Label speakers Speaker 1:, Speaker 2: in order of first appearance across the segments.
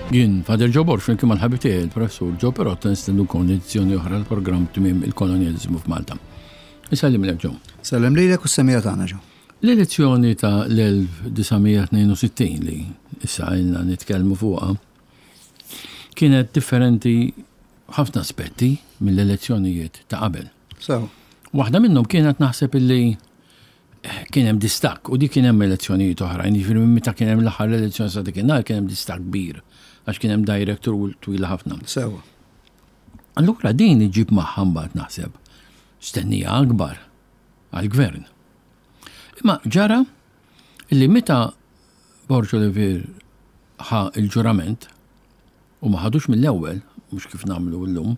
Speaker 1: Jien Father Joe Borg flimkien mal-ħabib tiegħi il-Professur Joe Perotta nistennukom edizzjoni oħra l-programm Tmiem il-Kolonjaliżmu f'Malta. Isellimlek Joe.
Speaker 2: Sellem lilek u s-semija tagħna Joe.
Speaker 1: L-elezzjoni ta' l-1962 li issa ilna nitkellmu fuqha kienet differenti ħafna aspetti mill-elezzjonijiet ta' qabel.
Speaker 2: So.
Speaker 1: Waħda minnhom kienet naħseb illi kien hemm distakk u dik kien hemm elezzjonijiet oħrajn, jiġifieri minn meta kien hemm l-aħħar elezzjoni sa dakinhar kien hemm distakk kbir għax kien hemm direct rule twila ħafna.
Speaker 2: Sewa.
Speaker 1: Allura din iġib magħha mbagħad naħseb stennija akbar għall-gvern. Imma ġara li meta Borg Olivier ħa il-ġurament u ma ħadux mill-ewwel, mhux kif nagħmlu llum,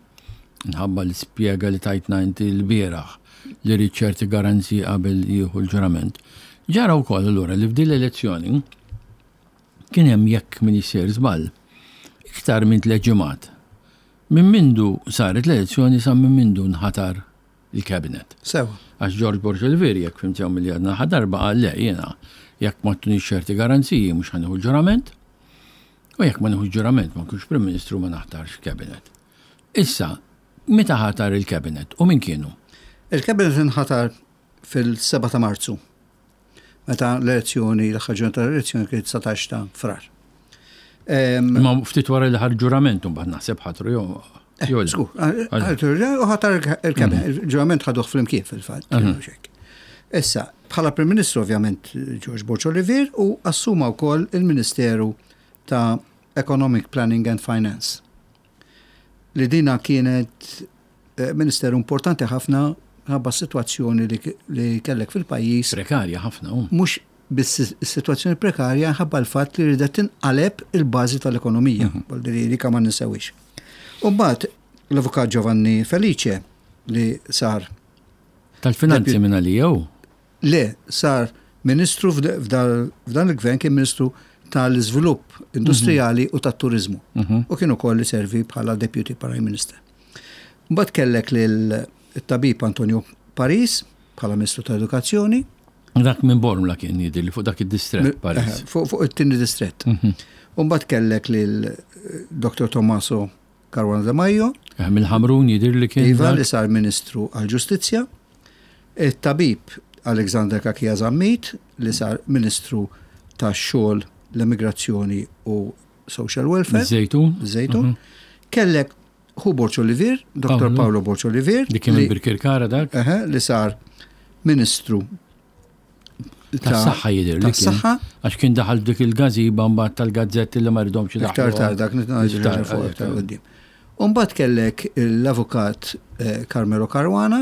Speaker 1: minħabba l-ispjega li tajtna inti lbieraħ li ried ċerti garanziji qabel jieħu l-ġurament. Ġara wkoll allura li f'din l-elezzjoni kien hemm jekk m'iniex sejjer żball, iktar minn tlett ġimgħat minn mindu saret l-elezzjoni sa minn mindu nħatar il-cabinet.
Speaker 2: Sewa.
Speaker 1: Għax George Borg Olivier jekk fhimt sew milli għadna l-aħħar darba qal le jiena jekk ma ttunix ċerti garanziji mhux ħa nieħu l-ġurament. U jekk ma nieħux ġurament ma nkunx Prim Ministru ma naħtarx cabinet. Issa, meta ħatar il-cabinet u min kienu?
Speaker 2: Il-cabinet inħatar fil-7 ta' Marzu, meta l-elezzjoni, l-aħħar ġurnata tal-elezzjoni kienet 19 ta' Frar.
Speaker 1: Ma ftit wara li ħar ġurament mbagħad naħseb ħatru jew
Speaker 2: eh, Żgur, u ħatar il-cabinet, mhm. il-ġurament ħaduh flimkien fil-fatt. Mhm. Issa, bħala Prim Ministru ovvjament George Borg Olivier u assuma wkoll il-Ministeru ta' Economic Planning and Finance. Li dina kienet eh, ministeru importanti ħafna ħabba s-sitwazzjoni li kellek fil-pajjiż.
Speaker 1: Prekarja ħafna.
Speaker 2: Mhux biss is-sitwazzjoni prekarja ħabba l-fatt li ridet tinqaleb il-bażi tal-ekonomija, mhm. li li ma ninsewix. U mbagħad l-Avukat Giovanni Felice li sar
Speaker 1: Tal-finanzi minn għalija hu?
Speaker 2: Le, sar Ministru f'dan il-gvern kien Ministru tal-Iżvilupp Industrijali u tat-Turiżmu. Mhm. U kien ukoll iservi bħala Deputy Prime Minister. Mbagħad kellek lil tabib Antonio Paris bħala Ministru tal-Edukazzjoni.
Speaker 1: Dak minn Bormla kien jidher li fuq dak id-distrett Paris.
Speaker 2: Eh, fuq it-tieni distrett. Mhm. U mbagħad kellek lil Dr. Tommaso Caruana De Maio.
Speaker 1: Eh, mill-Ħamrun jidhir li kien.
Speaker 2: Iva li sar Ministru għall-Ġustizzja. It-tabib Alexander Cachia Zammit li sar Ministru tax-Xogħol, l-Emigrazzjoni u Social Welfare.
Speaker 1: Żejtun.
Speaker 2: Żejtun. Mhm. Kellek Hu Borg Olivier, Dr. Paolo Borg Olivier.
Speaker 1: Li kien Birkirkara dak.
Speaker 2: Li sar Ministru
Speaker 1: Tas-saħħa jidher li kien.
Speaker 2: Saħħa.
Speaker 1: Għax kien daħal dik il-gażiba mbagħad tal-gazzetti li ma rridhomx
Speaker 2: idaħħlu. Iktar tard dak nitnaqgħu fuq iktar quddiem. U mbagħad kellek l-avukat eh, Carmelo Caruana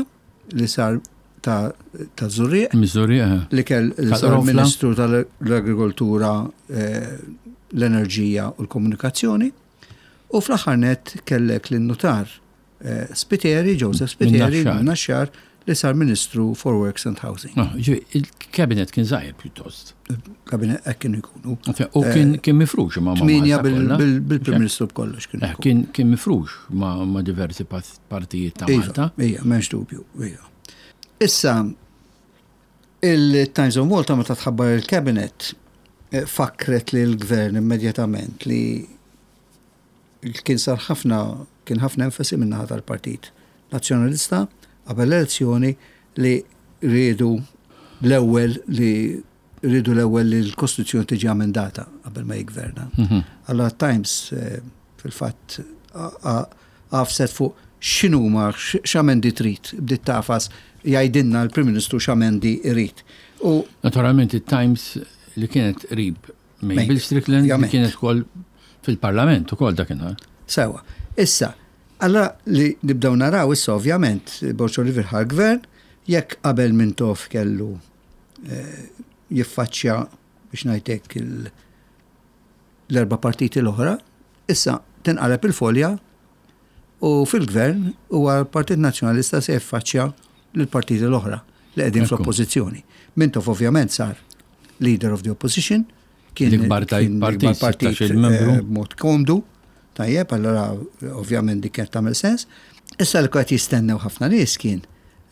Speaker 2: li sar ta' ta' Zurrieq.
Speaker 1: Miż-Zurrieq. Eh.
Speaker 2: Li kell li sar Ministru tal-Agrikoltura, eh, l-Enerġija u l-Komunikazzjoni. U fl-aħħar nett kellek lin-nutar Spiteri, Joseph Spiteri, Naxxar, li sar Ministru for Works and Housing.
Speaker 1: Ah, il-kabinet kien żgħir pjuttost.
Speaker 2: Kabinet hekk kienu jkunu.
Speaker 1: U kien eh, mifrux
Speaker 2: ma' Tminja bil-Prim Ministru b'kollox
Speaker 1: kien. Eh, kien mifrux ma' diversi partijiet ta'
Speaker 2: iva,
Speaker 1: Malta.
Speaker 2: Ija, m'hemmx dubju, ija. Issa, il-Times of Malta meta tħabbar il-kabinet eh, fakret li l-gvern immedjatament li Kien sar ħafna, kien ħafna enfasi min-naħa tal-Partit Nazzjonalista qabel l-elezzjoni li riedu l-ewwel li riedu l-ewwel li l-Kostituzzjoni tiġi amendata qabel ma jiggverna. Mhm. Allora Times eh, fil-fatt għafset fuq x'inhuma x'amendi trid, bdiet tafas jgħidilna l-Prim Ministru x'amendi jrid.
Speaker 1: U Naturalment it-Times li kienet qrib Mabel Strickland li kienet ukoll fil-Parlament ukoll dakinhar.
Speaker 2: Sewa. Issa, allora li nibdew naraw issa ovvjament Borg Olivier ħa l-gvern, jekk qabel Mintoff kellu eh, jiffaċċja biex ngħidlek l-erba' partiti l-oħra, issa tinqaleb il-folja u fil-gvern huwa l-Partit Nazzjonalista se jiffaċċja lill-partiti l-oħra li qegħdin fl-oppożizzjoni. Mintoff ovvjament sar leader of the opposition,
Speaker 1: kien l-ikbar partit,
Speaker 2: partit eh, b'mod komdu, tajjeb, allora ovvjament dik kienet tagħmel sens. Issa li qed jistennew ħafna nies kien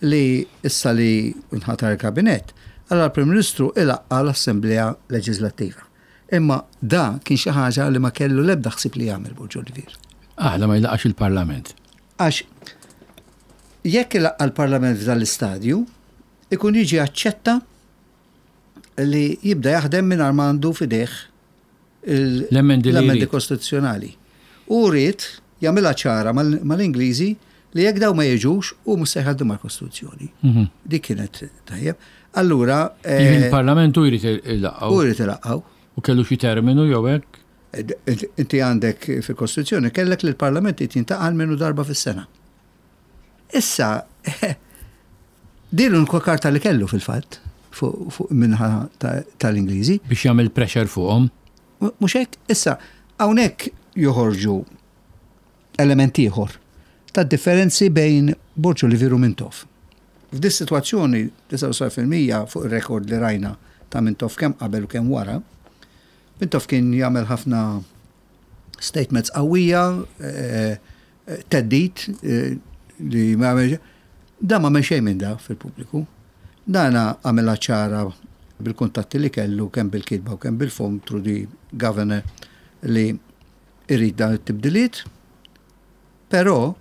Speaker 2: li issa li nħatar il-kabinett, allora l-Prim Ministru ilaqqa l-Assemblea Leġislattiva. Imma da kien xi ħaġa li ma kellu l-ebda ħsieb li jagħmel Borg Olivier.
Speaker 1: Aħla ma jlaqax il-Parlament.
Speaker 2: Għax jekk ilaqqa' l-Parlament f'dan l-istadju, ikun jiġi aċċetta li jibda jaħdem mingħajr ma għandu f'idejh
Speaker 1: l-emendi
Speaker 2: kostituzzjonali. U ried jagħmilha ċara mal-Ingliżi li jekk daw ma jiġux hu mhux se jħaddimha l-Kostituzzjoni. Mhm. Dik kienet tajjeb. Allura.
Speaker 1: Eh, Il-Parlament u jrid ilaqqgħu.
Speaker 2: U jrid ilaqqgħu.
Speaker 1: U kellu xi terminu jew hekk?
Speaker 2: Inti għandek fil-Kostituzzjoni kellek li l-Parlament jintaqal minnu darba fis-sena. Issa, din l-unika karta li kellu fil-fatt fuq minħa tal-Ingliżi.
Speaker 1: Biex jagħmel pressure fuqhom.
Speaker 2: Mhux hekk, issa hawnhekk joħorġu element ieħor tad-differenzi bejn Borg Olivier u Mintoff. F'dis sitwazzjoni 99% fuq ir-rekord li rajna ta' Mintoff kemm qabel u kemm wara, Mintoff kien jagħmel ħafna statements qawwija, eh, theddid li ma jagħmel Da ma xejn minn da fil-pubbliku. Dana għamilha ċara bil-kuntatti li kellu kemm bil-kitba u kemm bil-fom through the governor li irid dan it-tibdiliet, però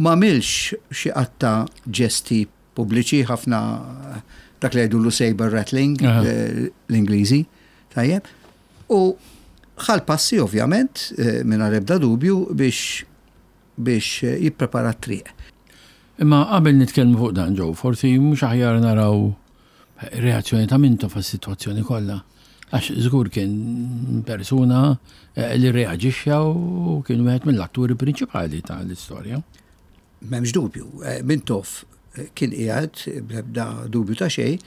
Speaker 2: ma għamilx xi qatta ġesti pubbliċi ħafna dak li jgħidulu saber rattling l-Ingliżi, tajjeb. U ħa l-passi ovvjament, mingħajr ebda dubju biex biex jipprepara t-triq.
Speaker 1: Imma qabel nitkellmu fuq dan Joe, forsi mhux aħjar naraw reazzjoni ta' Mintoff għas-sitwazzjoni kollha. Għax żgur kien persuna eh, li reaġixxa u kien wieħed mill-atturi prinċipali tal-istorja.
Speaker 2: M'hemmx dubju, eh, Mintoff eh, kien qiegħed bl-ebda dubju ta' xejn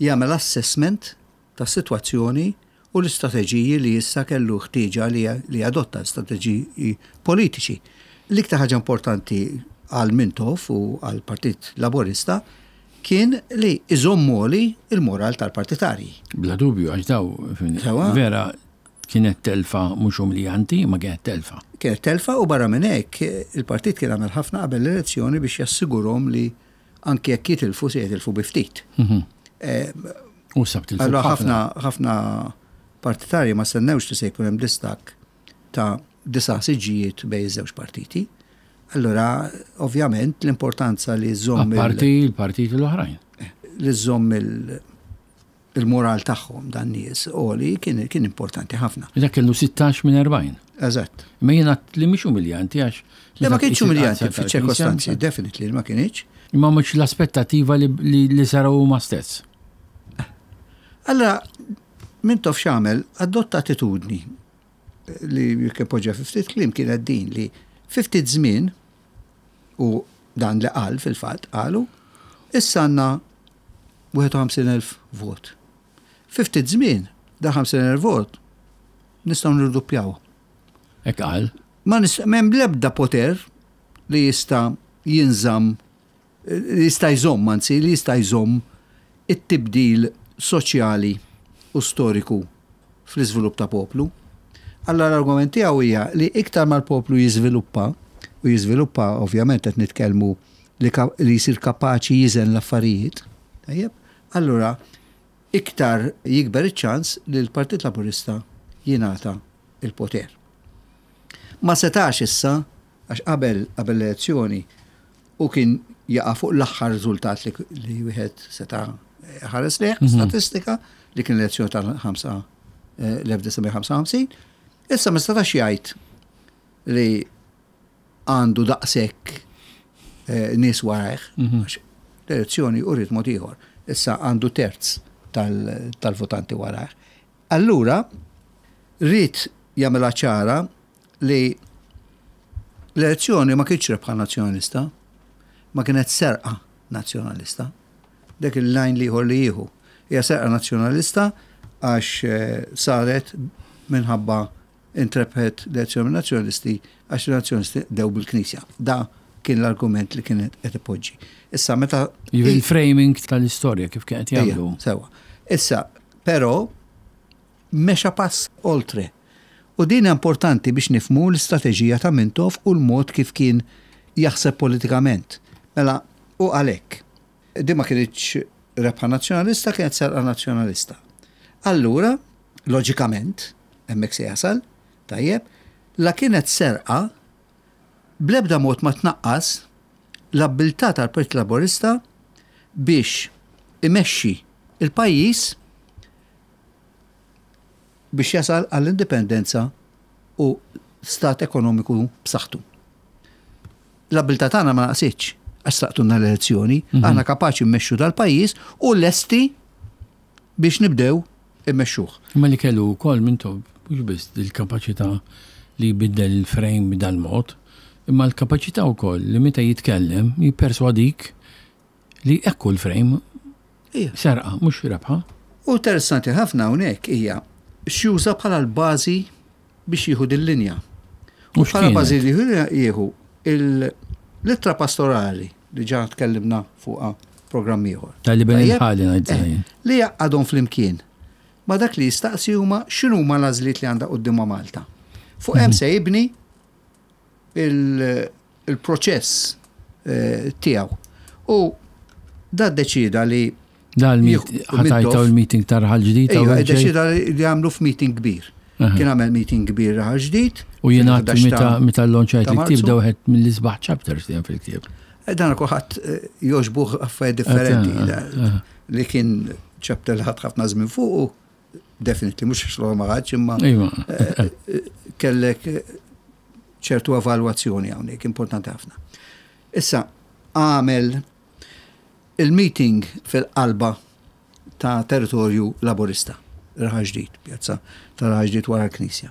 Speaker 2: jagħmel assessment tas-sitwazzjoni u l-istrateġiji li issa kellu ħtieġa li jadotta, strateġiji politiċi. L-iktar ħaġa importanti għal Mintoff u għall-Partit Laburista kien li iżomm għoli il-moral tal-partitarji.
Speaker 1: Bla dubju, għax daw vera kienet telfa mhux umiljanti, ma kienet telfa.
Speaker 2: Kienet telfa u barra minn hekk il-partit kien għamel ħafna qabel l-elezzjoni biex jassigurhom li anki jekk jitilfu se jitilfu bi ftit. Mhm.
Speaker 1: Eh, u sab tilfu. Allora
Speaker 2: ħafna ħafna partitarji ma stennewx li se jkun hemm distak ta' disa' siġġijiet bejn iż-żewġ partiti. Allora, ovvjament, l-importanza li żomm.
Speaker 1: Parti l-partiti l-oħrajn.
Speaker 2: Eh, li żomm il-moral tagħhom dan nies għoli kien, kien importanti ħafna.
Speaker 1: Dak kellu 16 minn 40.
Speaker 2: Eżatt.
Speaker 1: Ma jiena li mhix umiljanti għax.
Speaker 2: Le ma kienx umiljanti fiċ-ċirkostanzi, definitely ma kienx.
Speaker 1: Imma mhux l-aspettativa li, li, li saraw huma stess.
Speaker 2: Allora, Mintoff x'għamel adotta attitudni li jekk poġġa fi ftit kliem kienet din li fi ftit żmien u dan li qal fil-fatt qalu issa għandna 51,000 vot. Fi ftit żmien, da 50,000 vot nistgħu nirduppjaw.
Speaker 1: Hekk qal.
Speaker 2: Ma m'hemm l-ebda poter li jista' jinżamm li jista' jżomm, anzi li jista' jżomm it-tibdil soċjali u storiku fl-iżvilupp ta' poplu. Allura l-argument tiegħu hija li iktar ma l-poplu jiżviluppa, u jiżviluppa ovvjament qed nitkellmu li, li jsir kapaċi jiżen l-affarijiet, tajjeb, allura iktar jikber iċ-ċans li l-Partit Laburista jingħata il-poter. Ma setax issa, għax qabel qabel l-elezzjoni u kien jaqa' fuq l-aħħar riżultat li, li wieħed seta' ħares lejh, mm -hmm. statistika li kien l-elezzjoni tal-1955, eh, issa ma setax jgħid li għandu daqshekk eh, nies warajh, mhm. għax l-elezzjoni uriet mod ieħor. Issa għandu terz tal-votanti warajh. Allura, ried jagħmilha ċara li l-elezzjoni ma kienx rebħa nazzjonalista, ma kienet serqa nazzjonalista. Dak il-lajn liħor li jieħu. Hija serqa nazzjonalista għax eh, saret minħabba intrebħet l-elezzjoni min-Nazzjonalisti għax in-Nazzjonalisti qdew bil-Knisja. Da kien l-argument li kien qed ipoġġi. Issa meta.
Speaker 1: Jiġifieri il-framing tal-istorja kif kien qed jagħmlu.
Speaker 2: Sewwa. Issa, però mexa pass oltre. U din importanti biex nifhmu l-istrateġija ta' Mintoff u l-mod kif kien jaħseb politikament. Mela, u għalhekk. Din ma kinitx rebħa Nazzjonalista, kienet serqa Nazzjonalista. Allura, loġikament. hemmhekk se jasal, tajjeb, la kienet serqa bl-ebda mod ma tnaqqas l-abbiltà tal-Partit Laburista biex imexxi l-pajjiż biex jasal għall-indipendenza u stat ekonomiku b'saħħtu. L-abbiltà tagħna ma naqsitx għax sraqtulna l-elezzjoni, aħna kapaċi mmexxu dal-pajjiż u lesti biex nibdew immexxuh.
Speaker 1: Imma li kellu wkoll Mintoff mhux biss il-kapaċità li jbiddel il-frame b'dal-mod, imma l-kapaċità wkoll li meta jitkellem jipperswadik li hekk hu l-frame. Serqa, mhux rebħa.
Speaker 2: U interessanti ħafna hawnhekk hija x'juża bħala l-bażi biex jieħu dil-linja. U bħala bażi li jieħu l-ittra pastorali li ġa tkellimna fuqha programm ieħor.
Speaker 1: Tal-li bejn il-ħali ngħid.
Speaker 2: Eh, li jaqgħadhom flimkien. Ma dak li jistaqsi huma x'inhuma l-għażliet li għandha quddiemha Malta. Fuq hemm se jibni il-proċess eh, tiegħu. U da deċida li
Speaker 1: Da ħatajta l-meeting ta' raħal ġdid.
Speaker 2: Iva, deċida li għamlu f'meeting kbir. Kien għamel meeting kbir raħal ġdid.
Speaker 1: U jena meta l-lonċajt il-ktib da wieħed mill-isbaħ chapters li fil-ktib.
Speaker 2: Eh, dan kulħadd eh, joġbuh affarijiet differenti. Li kien chapter li ħadd ħafna żmien fuq definitely mhux xogħol ma ħadx imma iva. eh, eh, kellek eh, ċertu evalwazzjoni hawnhekk importanti ħafna. Issa għamel il-meeting fil-qalba ta' territorju laburista, Raħal Ġdid, pjazza ta' Raħal Ġdid wara l-Knisja.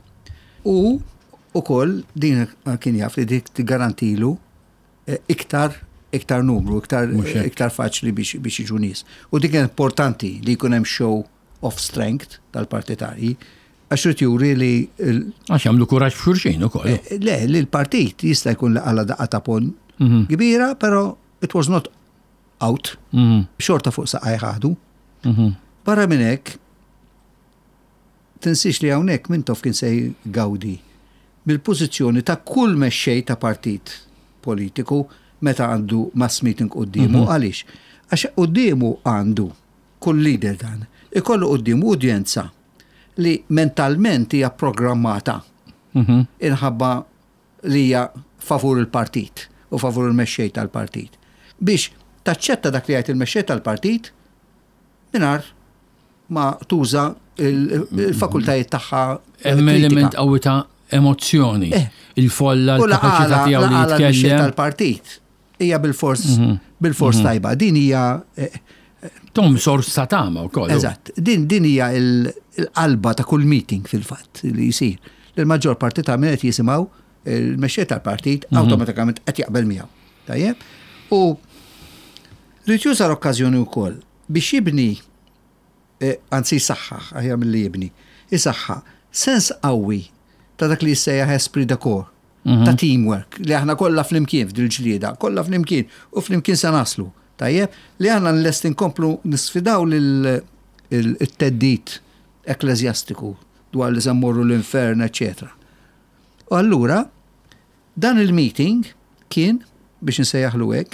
Speaker 2: U ukoll din kien jaf li dik tigarantilu iktar iktar numru, iktar iktar faċli biex biex jiġu nies. U dik importanti li jkun hemm show of strength tal-partitarji għax irid juri li
Speaker 1: Għax jagħmlu kuraġġ f'xulxin ukoll.
Speaker 2: Eh, le, li l-partit jista' jkun li qala daqqa ta' pon mhm. kbira, però it was not out. Mhm. Xorta fuq saqaj ħadu. Mhm. Barra minn hekk, Tinsiex li hawnhekk Mintoff kien se jgawdi mill-pożizzjoni ta' kull mexxej ta' partit politiku meta għandu mass meeting quddiemu. Għaliex? Għax quddiemu għandu, kull leader dan, ikollu quddiemu udjenza li mentalment hija programmata inħabba li hija favur il-partit u favur il-mexxej tal-partit biex taċċetta dak li jgħid il-mexxej tal-partit mingħajr ma tuża il-fakultajiet tagħha.
Speaker 1: Hemm element qawwi ta' emozzjoni. Eh. Il-folla, l-kapaċità tiegħu li jitkellem.
Speaker 2: tal-partit hija bil-fors mhm. bil-fors mhm. tajba. Din hija eh,
Speaker 1: Tom sors ta' tama wkoll.
Speaker 2: Eżatt. Din din hija l-qalba ta' kull meeting fil-fatt li jsir. Il-maġġor parti ta' min qed jisimgħu il-mexxej tal-partit mhm. awtomatikament qed jaqbel miegħu. Tajjeb? U rrid juża l-okkażjoni wkoll biex jibni anzi jsaħħaħ, aħjar milli jibni, isaħħa sens qawwi ta' dak li jissejjaħ esprit de corps, mhm. ta' teamwork, li aħna kollha flimkien f'dil-ġlieda, kollha flimkien u flimkien se naslu. Tajjeb, li aħna lest inkomplu nisfidaw lil-teddit ekklesjastiku dwar li se mmorru l-infern, eċetera. U allura, dan il-meeting kien, biex nsejjaħlu hekk,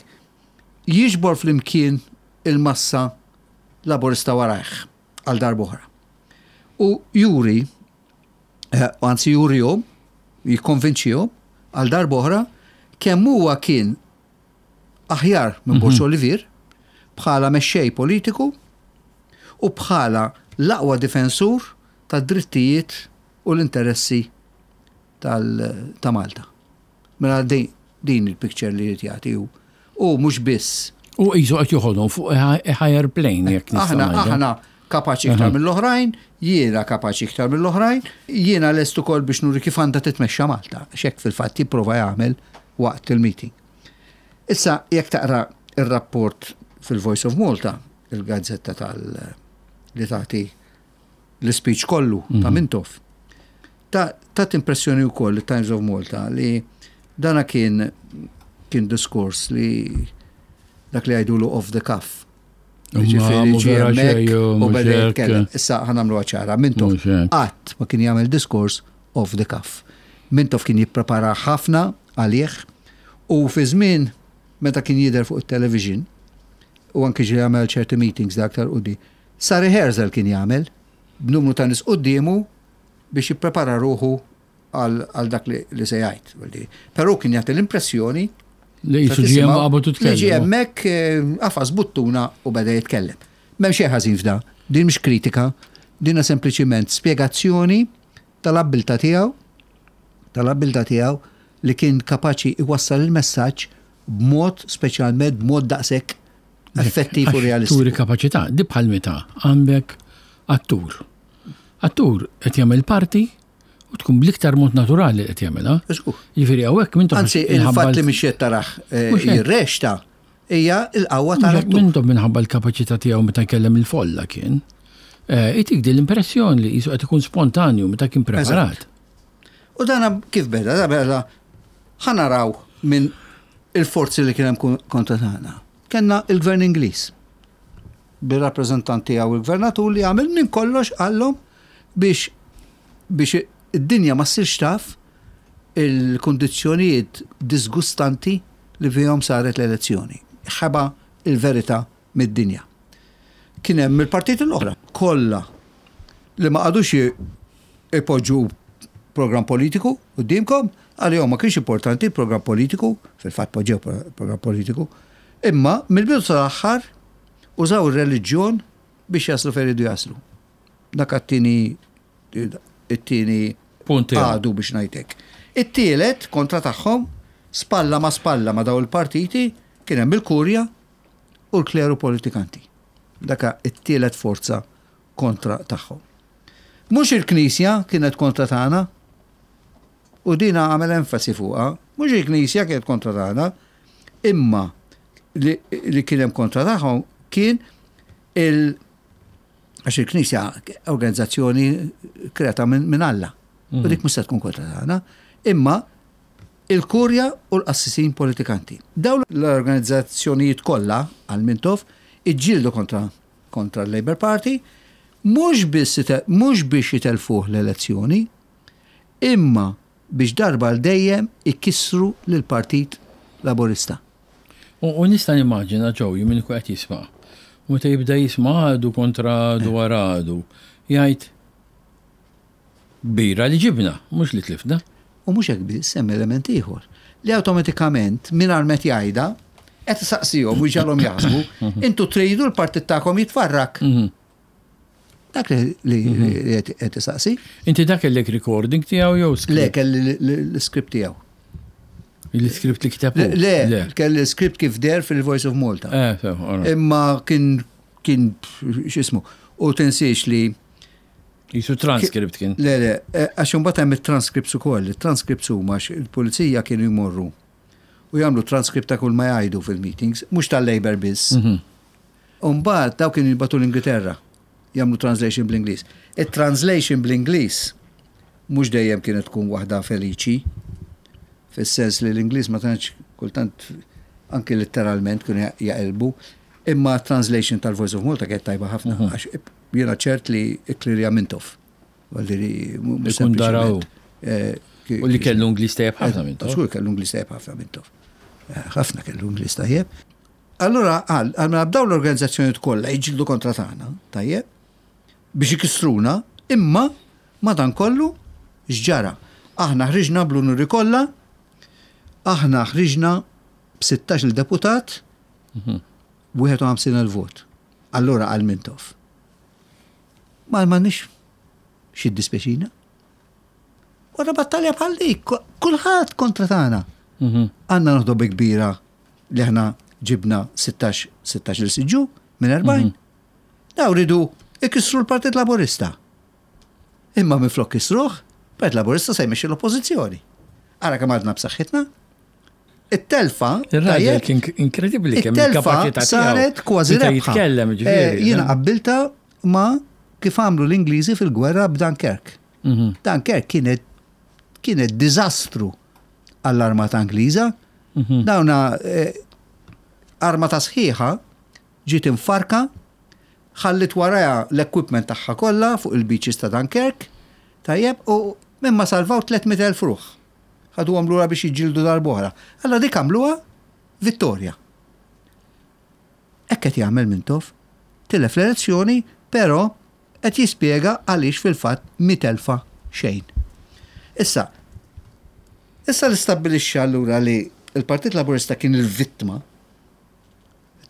Speaker 2: jiġbor flimkien il-massa Laburista warajh għal darb'oħra. U juri, eh, anzi jurihom, jikkonvinċihom għal darb'oħra kemm huwa kien aħjar minn Borg mhm. Olivier bħala mexxej politiku u bħala l-aqwa difensur tad-drittijiet u l-interessi ta' Malta. Mela din il-picture li jrid jagħti hu. U mhux biss.
Speaker 1: U qisu qed joħodhom fuq higher plane jekk
Speaker 2: nistgħu. Aħna aħna kapaċi iktar mill-oħrajn, jiena kapaċi iktar mill-oħrajn, jiena lest ukoll biex nuri kif għandha titmexxa Malta, x'hekk fil-fatt jipprova jagħmel waqt il-meeting. Issa jekk taqra ir-rapport fil-Voice of Malta, il-gazzetta tal li tagħti l-ispeech kollu ta' mhm. Mintoff. Tat impressjoni wkoll it-Times of Malta li dana kien kien diskors li dak li għajdulu off the cuff. Ġifieri ġie hemmhekk u beda jitkellem. Issa ħa nagħmluha ċara, Mintoff qatt ma kien jagħmel diskors off the cuff. Mintoff kien jipprepara ħafna għalih u fi żmien meta kien jidher fuq it-television u anki ġie jagħmel ċerti meetings da aktar quddi. Sa rehearsal kien jagħmel b'numru ta' nies quddiemu. biex jipprepara ruħu għal dak li se jgħid. Però kien jagħti l-impressjoni
Speaker 1: li jisu ġie qabad u
Speaker 2: tkellem. Li ġie hemmhekk eh, qafas buttuna u beda jitkellem. M'hemm xejn ħażin f'da, din mhix kritika, dinha sempliċiment spjegazzjoni tal-abbiltà tiegħu tal-abbiltà tiegħu li kien kapaċi iwassal il-messaġġ b'mod speċjalment b'mod daqshekk effettiv u realistiku.
Speaker 1: Turi kapaċità, di bħal meta għandek attur. Attur qed jagħmel parti u tkun bl-iktar mod naturali qed jagħmilha. Jiġifieri hawnhekk
Speaker 2: minn Anzi, il-fatt li mhix qed taraħ eh, jirrexta hija l-qawwa tal-attur.
Speaker 1: Mintom minħabba l-kapaċità tiegħu meta jkellem il-folla kien. Eh, itik din l-impressjoni li jisu qed ikun spontanju meta kien preparat.
Speaker 2: U dan kif beda, da beda ħanaraw minn il-forzi li kien hemm kontra tagħna. Kenna il-Gvern Ingliż bir-rappreżentant tiegħu il-gvernatur li għamel minn kollox qallhom biex biex id-dinja ma ssirx taf il-kundizzjonijiet disgustanti li fihom saret l-elezzjoni. Ħeba il-verità mid-dinja. Kien hemm il-partiti l-oħra kollha li ma qagħdux ipoġġu programm politiku quddiemkom, għalihom ma kienx importanti l-programm politiku, fil-fatt poġġew programm politiku, imma mill-bidu sal-aħħar użaw ir-reliġjon biex jaslu fejn iridu jaslu. Dak għat-tieni it-tieni
Speaker 1: punt
Speaker 2: għadu biex ngħidlek. It-tielet kontra tagħhom spalla ma spalla ma daw il-partiti kien hemm il-kurja u l-kleru politikanti. Daka it-tielet forza kontra tagħhom. Mhux il-Knisja kienet kontra tagħna, u dina għamel enfasi fuqha, mhux il-Knisja kienet kontra tagħna, imma li, li kien hemm kontra tagħhom kien il għax il-Knisja organizzazzjoni kreata minn min Alla. U dik mhux se tkun kontra tagħna, imma il-kurja u l-qassisin politikanti. Dawn l-organizzazzjonijiet kollha għal Mintoff iġġieldu kontra kontra l-Labour Party mhux biss mhux biex jitellfuh l-elezzjoni, imma biex darba għal dejjem ikissru lill-Partit Laburista.
Speaker 1: U nista' nimmaġina Joey min ikun qed jisma' u meta jibda jisma' għadu kontra għadu wara għadu, jgħid kbira li ġibna, mhux li tlifna.
Speaker 2: U mhux hekk biss, hemm element ieħor li awtomatikament mingħajr ma qed jgħidha qed isaqsihom u jġagħalhom jaħsbu, intu tridu l-partit tagħkom jitfarrak. Dak li qed isaqsi.
Speaker 1: Inti dak kellek recording tiegħu jew
Speaker 2: script? Le, kelli l-script tiegħu.
Speaker 1: Il-script li kiteb?
Speaker 2: Le, kelli l-script kif der fil-Voice of Malta. Eh, Imma kien kien x'ismu. U tinsiex li
Speaker 1: Jisu transcript kien.
Speaker 2: Le, le, eh, għax imbagħad hemm it-transcripts ukoll. Il-transcripts huma il-pulizija kienu jmorru u jagħmlu transcript ta' kull ma jgħidu fil-meetings, mhux tal-Labour biss. Mhm. U mbagħad daw kienu jibgħatu l-Ingilterra jagħmlu translation bl-Ingliż. It-translation bl-Ingliż mhux dejjem kienet tkun waħda feliċi, fis-sens li l-Ingliż ma tantx kultant anki letteralment kienu jaqilbu, imma translation tal-Voice of Malta kienet tajba ħafna mhm. għax jiena ċert li klirja Mintoff.
Speaker 1: Ikun daraw. Eh, u li kellu Ingliż tajjeb ħafna
Speaker 2: Mintoff. Żgur kellu Ingliż tajjeb ħafna Mintoff. Eh, ħafna kellu Ingliż tajjeb. Allura qal, għal mela bdaw l-organizzazzjonijiet kollha jiġġieldu kontra tagħna, tajjeb, biex ikissruna, imma madankollu x'ġara? Aħna ħriġna bl-unuri kollha, aħna ħriġna b'16 il deputat, 51,000 vot. Allura qal Mintoff. Ma m'għandniex xi dispjaċina. Wara battalja bħal dik, kulħadd kontra tagħna. Mhm. Għandna noħdu bi kbira li aħna ġibna 16 16 il-siġġu minn 40. Mhm. Daw ridu ikissru l-Partit Laburista. Imma minn flok kisruh, Partit Laburista se jmexxi l-oppożizzjoni. Ara kemm għadna b'saħħitna. It-telfa.
Speaker 1: Ir-raġel kien inkredibbli
Speaker 2: kemm il-kapaċità saret kważi rebħa.
Speaker 1: Jitkellem
Speaker 2: eh, ġifieri. Jiena qabbilta ma kif għamlu l-Ingliżi fil-gwerra b'Dunkirk. Mhm. Dunkirk kienet kienet diżastru għall-armata Ingliża. Mhm. Dawna eh, armata sħiħa ġiet imfarka, ħallit waraja l-equipment tagħha kollha fuq il-beaches ta' Dunkirk, tajjeb, u minn ma salvaw 300,000 ruħ. Ħaduhom lura biex jiġġieldu darb'oħra. Allura dik għamluha vittorja. Hekk qed jagħmel Mintoff. Tilef l-elezzjoni, però qed jispjega għaliex fil-fatt mitelfa. Xejn. Issa, issa li stabbilixxa allura li l-Partit Laburista kien il-vittma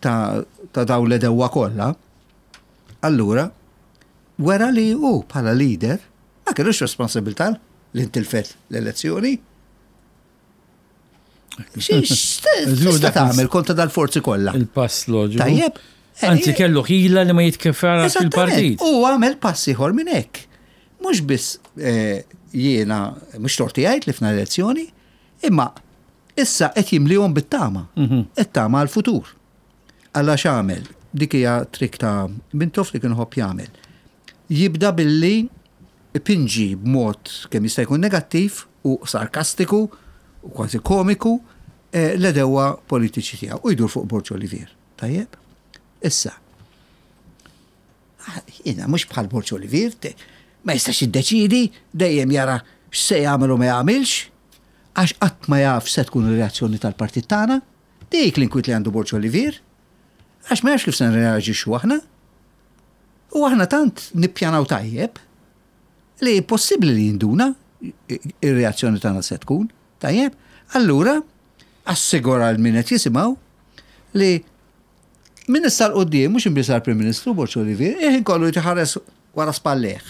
Speaker 2: ta', ta dawn l-edewwa kollha, allura wera li hu bħala leader ma kellux responsabilità li ntilfet l-elezzjoni. X'tista' tagħmel kontra dal-forzi kollha?
Speaker 1: Il-pass loġiku.
Speaker 2: Tajjeb.
Speaker 1: Anzi kellu ħila li ma jitkefara fil-partit.
Speaker 2: U għamel pass ieħor minn hekk. Mhux biss eh, jiena mhux torti jgħid li f'na elezzjoni, imma issa qed jimlihom bit-tama. Mhm. It-tama għal-futur. Alla x'għamel? Dik hija trik ta' Mintoff li kien ħobb jagħmel. Jibda billi ipinġi b'mod kemm jista' jkun negattiv u sarkastiku u kważi komiku eh, l-għedewwa politiċi tiegħu u jdur fuq Borg Olivier. Tajjeb? Issa, ah, jiena mhux bħal Borg Olivier, ma jistax jiddeċidi, dejjem jara x'se jagħmel u ma jagħmilx, għax qatt ma jaf se tkun ir-reazzjoni tal-partit tagħna. Dik l-inkwiet li għandu Borg Olivier, għax ma jafx kif se nreaġixxu aħna. U aħna tant nippjanaw tajjeb li possibbli li jinduna ir-reazzjoni tagħna se tkun, tajjeb, allura assigura l min qed jisimgħu li minn issa 'l quddiem mhux imbiss Prim Ministru Borg Olivier, il-ħin kollu jitħares wara spallejh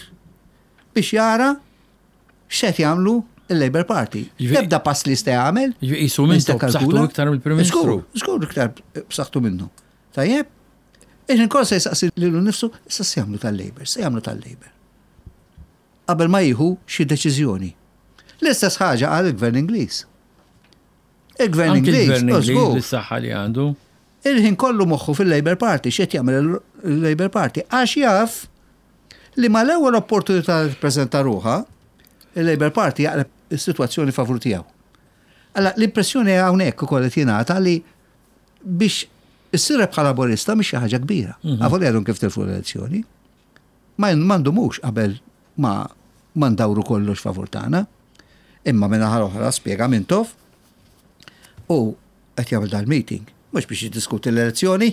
Speaker 2: biex jara x'qed jagħmlu il-Labour Party. Ebda pass li jista' jagħmel.
Speaker 1: Jisu minn b'saħħtu iktar mill-Prim Ministru.
Speaker 2: Żgur iktar b'saħħtu minnu. Tajjeb? Il-ħin kollu se jsaqsi lilu nnifsu, issa se jagħmlu tal-Labour, se jagħmlu tal-Labour. Qabel ma jieħu xi deċiżjoni. L-istess ħaġa qal il-Gvern Ingliż. Il-Gvern Ingliż,
Speaker 1: il-Gvern Ingliż bis-saħħa li għandu.
Speaker 2: Il-ħin kollu moħħu fil-Labour Party, x'qed jagħmel il-Labour Party, għax jaf li mal-ewwel opportunità li tippreżenta ruħha, il-Labour Party jaqleb is-sitwazzjoni favur tiegħu. Alla l-impressjoni hawnhekk ukoll qed jingħata li biex issir rebħa Laburista mhix xi ħaġa kbira. Mhm. Avolja għadhom kif tilfu l-elezzjoni. Ma ndumux qabel ma ma ndawru kollox favur tagħna. Imma minn naħa l-oħra spjega Mintoff u qed jagħmel dal-meeting mhux biex jiddiskuti l-elezzjoni.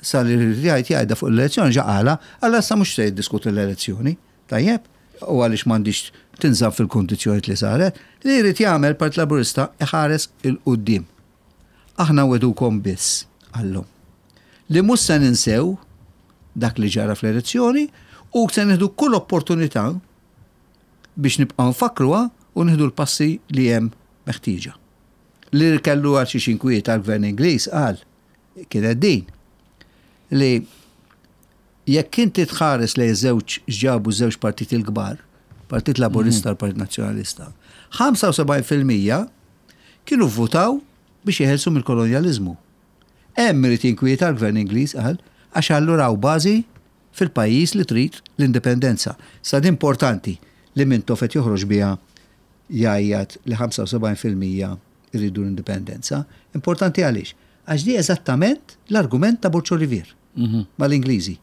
Speaker 2: Sa li jgħid jgħidha fuq l-elezzjoni ġa qalha, alla issa mhux se jiddiskuti l-elezzjoni. Tajjeb, u għaliex m'għandix tinżamm fil-kundizzjonijiet li saret, li jrid jagħmel Partit Laburista iħares il-quddiem. Aħna nwegħdukom biss, qallhom, li mhux se ninsew dak li ġara fl-elezzjoni u se nieħdu kull opportunità biex nibqgħu nfakkruha u nieħdu l-passi li hemm meħtieġa. Li kellu għal xiex inkwieta l-Gvern Ingliż qal kienet din li jekk inti tħares lejn żewġ x'ġabu żewġ partiti l-kbar, Partit Laburista u l-Partit Nazzjonalista, 75% kienu vvutaw biex jeħelsu mill-kolonjaliżmu. Hemm irid jinkwieta l-Gvern Ingliż qal għax allura hawn bażi fil-pajjiż li trid l-indipendenza. Sa din importanti li Mintoff qed joħroġ biha jgħajjat li 75% iridu l-indipendenza. Importanti għaliex? Għax di eżattament l-argument ta' Borg Olivier mhm. mal-Ingliżi.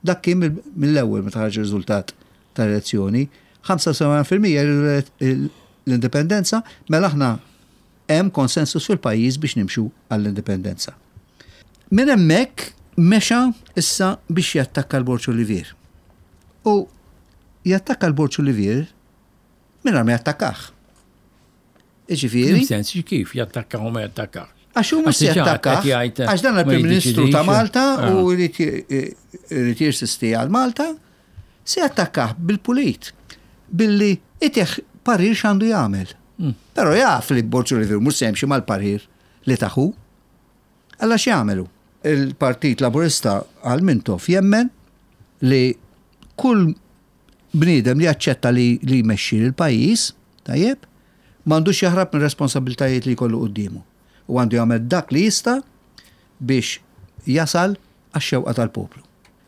Speaker 2: Dak kien mill-ewwel meta ħarġ ir-riżultat tal-elezzjoni, 75% jridu l-indipendenza, mela aħna hemm konsensus fil-pajjiż biex nimxu għall-indipendenza. Minn hemmhekk mexa issa biex jattakka l-Borġ Olivier. U jattakka l-Borġ Olivier mingħajr ma jattakkah.
Speaker 1: Jiġifieri. Sens kif jattakka u ma jattakka.
Speaker 2: Għax hu mhux jattakka. Għax dan il-Prim Ministru ta' Malta ah. u jrid jirsisti għal Malta, se jattakkah bil-pulit, billi itih parir x'għandu jagħmel. Hmm. Però jaf li Borġ Olivier mhux se jimxi mal-parir li taħu. Alla x'jagħmelu? Il-Partit Laburista għal Mintoff jemmen li kull bniedem li jaċċetta li li jmexxi lill-pajjiż, tajjeb, m'għandux jaħrab mir-responsabbiltajiet li jkollu quddiemu u għandu jagħmel dak li jista' biex jasal għax-xewqa tal-poplu.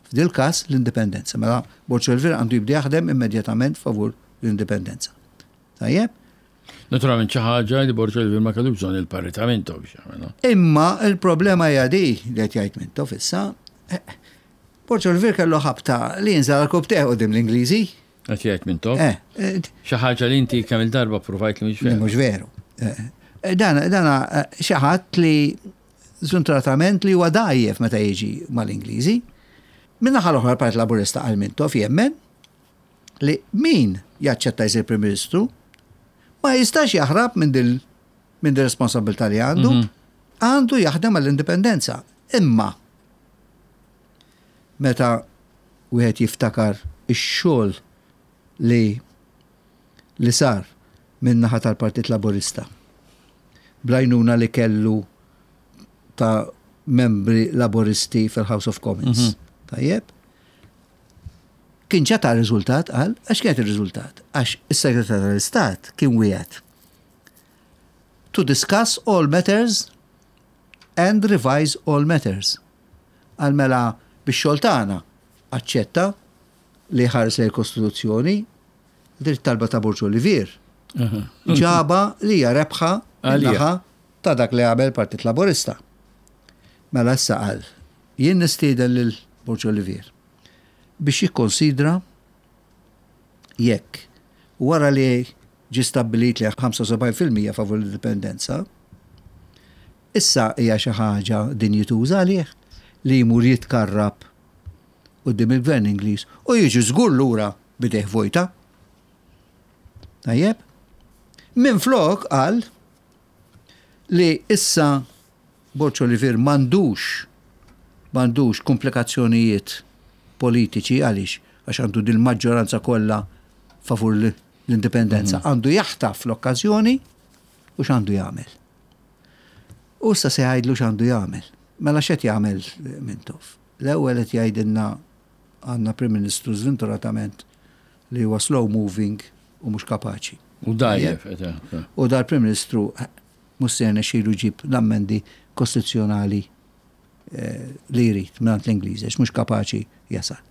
Speaker 2: F'dil-każ l-indipendenza. Mela Borg Olivier għandu jibda jaħdem immedjatament favur l-indipendenza. Tajjeb?
Speaker 1: Naturalment xi ħaġa li Borg Olivier ma kellu bżonn il-parir ta' Mintoff biex jagħmilha.
Speaker 2: Imma l-problema hija di li qed jgħid Mintoff issa. Eh, Borg Olivier kellu ħabta li jinżel għal kub quddiem l-Ingliżi.
Speaker 1: Qed jgħid Mintoff. Eh, eh, xi ħaġa li inti kemm il-darba provajt li mhux
Speaker 2: veru. Mhux veru. Eh, dan dan xi ħadd li żuntratament li huwa dgħajjef meta jiġi mal-Ingliżi. Min-naħa l-oħra l-Partit Laburista għal Mintoff jemmen li min jaċċetta jsir Prim Ministru ma jistax jaħrab minn dil minn din responsabilità li għandu, mhm. għandu jaħdem għall-indipendenza. Imma meta wieħed jiftakar ix-xogħol li li sar minn naħa tal-Partit Laburista bl-għajnuna li kellu ta' membri laburisti fil-House of Commons. Mhm. Tajjeb? Kien ġa ta' riżultat qal, għax kienet ir-riżultat? Għax is-Segretarju tal-Istat kien wieħed to discuss all matters and revise all matters. Għal mela bix-xogħol tagħna aċċetta li ħares lejn il-Kostituzzjoni, din it-talba ta' Borg Olivier. Ġaba li hija rebħa naħa ta' dak li għamel Partit Laburista. Mela issa qal, jien nistieden lil Borg Olivier biex jikkonsidra jekk wara li ġie stabbilit li 75% favur l-indipendenza, issa hija xi ħaġa dinjituża għalih li jmur jitkarrab quddiem il-Gvern Ingliż u jiġi żgur lura b'idejh vojta. Tajjeb? Minflok qal li issa Borg Olivier m'għandux m'għandux komplikazzjonijiet politiċi għaliex għax għandu din maġġoranza kollha favur l-indipendenza. Mhm. Għandu jaħtaf l-okkażjoni u x'għandu jagħmel. U issa se jgħidlu x'għandu jagħmel. Mela x'qed jagħmel Mintoff? L-ewwel qed jgħidilna għandna Prim Ministru żventuratament li huwa slow moving u mhux kapaċi.
Speaker 1: U dajjef.
Speaker 2: U dal-Prim Ministru mhux se jirnexxilu jġib l-ammendi kostituzzjonali eh, li jrid mingħand l-Ingliżi għax mhux kapaċi jasal.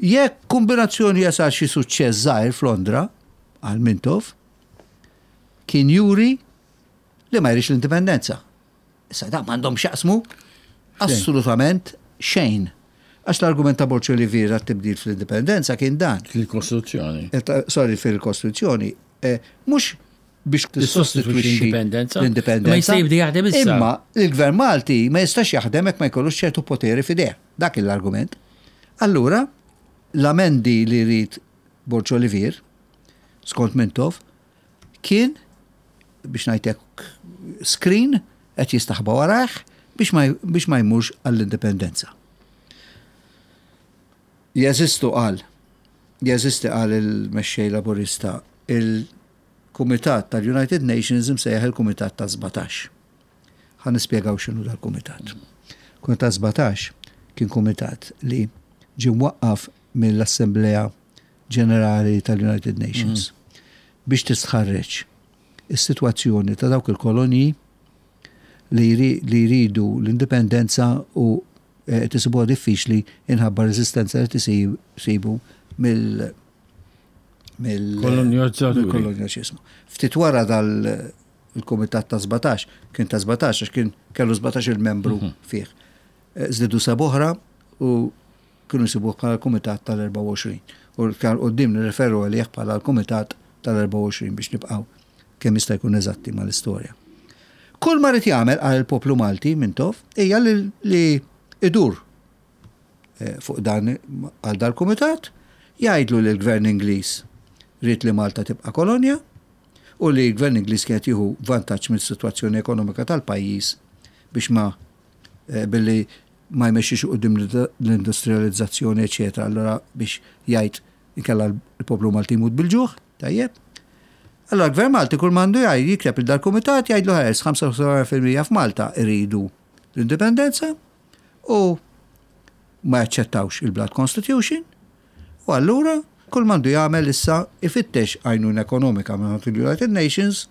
Speaker 2: Jekk kombinazzjoni jasal xi suċċess żgħir f'Londra għal Mintoff, kien juri li ma jridx l-indipendenza. Issa da m'għandhom x'jaqsmu assolutament xejn. Għax l-argument ta' Borg Olivier għat-tibdil fl-indipendenza kien dan.
Speaker 1: Fil-Kostituzzjoni.
Speaker 2: Eh, sorry, fil-Kostituzzjoni. Eh, mhux biex
Speaker 1: tissostitwixxi l-indipendenza.
Speaker 2: L-indipendenza.
Speaker 1: Ma jista' jibdi jaħdem issa.
Speaker 2: Imma il-Gvern Malti ma jistax jaħdem jekk ma jkollux ċertu poteri f'idejh. Dak l-argument. Allura, l-amendi li jrid Borg Olivier, skont Mintoff, kien biex ngħidlek screen qed jistaħba warajh biex ma, biex ma jmurx għall-indipendenza. Jeżistu qal, jeżisti qal il-mexxej Laburista il-Kumitat tal-United Nations imsejjaħ il-Kumitat ta' 17. Ħa nispjegaw x'inhu dal-kumitat. Kumitat 17 kien kumitat li ġie mwaqqaf mill-Assemblea Ġenerali tal-United Nations mm. biex tistħarreġ is-sitwazzjoni ta' dawk il-kolonji li jridu l-indipendenza u eh, tisibuha diffiċli inħabba reżistenza li tisibu mill
Speaker 1: mill-kolonjalizmu.
Speaker 2: Ftit wara dal il-Kumitat ta' 17, kien ta' 17 għax kien kellu 17 il-membru mhm. fih. Eh, żdiedu seb oħra u kienu jsibuh bħala l-Kumitat tal-24. U l-iktar quddiem nirreferu għalih bħala l-Kumitat tal-24 biex nibqgħu kemm jista' jkun eżatti mal-istorja. Kull ma rid jagħmel għal il-poplu Malti Mintoff hija li idur eh, fuq dan għal dal-kumitat, jgħidlu li l-gvern Ingliż ried li Malta tibqa' kolonja u li l-gvern Ingliż kienet jieħu vantaġġ mis-sitwazzjoni ekonomika tal-pajjiż biex ma eh, billi ma jmexxix quddiem l-industrializzazzjoni, eċetera, allura biex jgħid inkella l-poplu Malti jmut bil-ġuħ, tajjeb. Allora l-Gvern Malti kull m'għandu jgħid jikteb il dal-kumitat jgħidlu ħares 75% f'Malta iridu l-indipendenza u ma jaċċettawx il-Blood Constitution u allura kull m'għandu jagħmel issa ifittex għajnuna ekonomika minn il-United Nations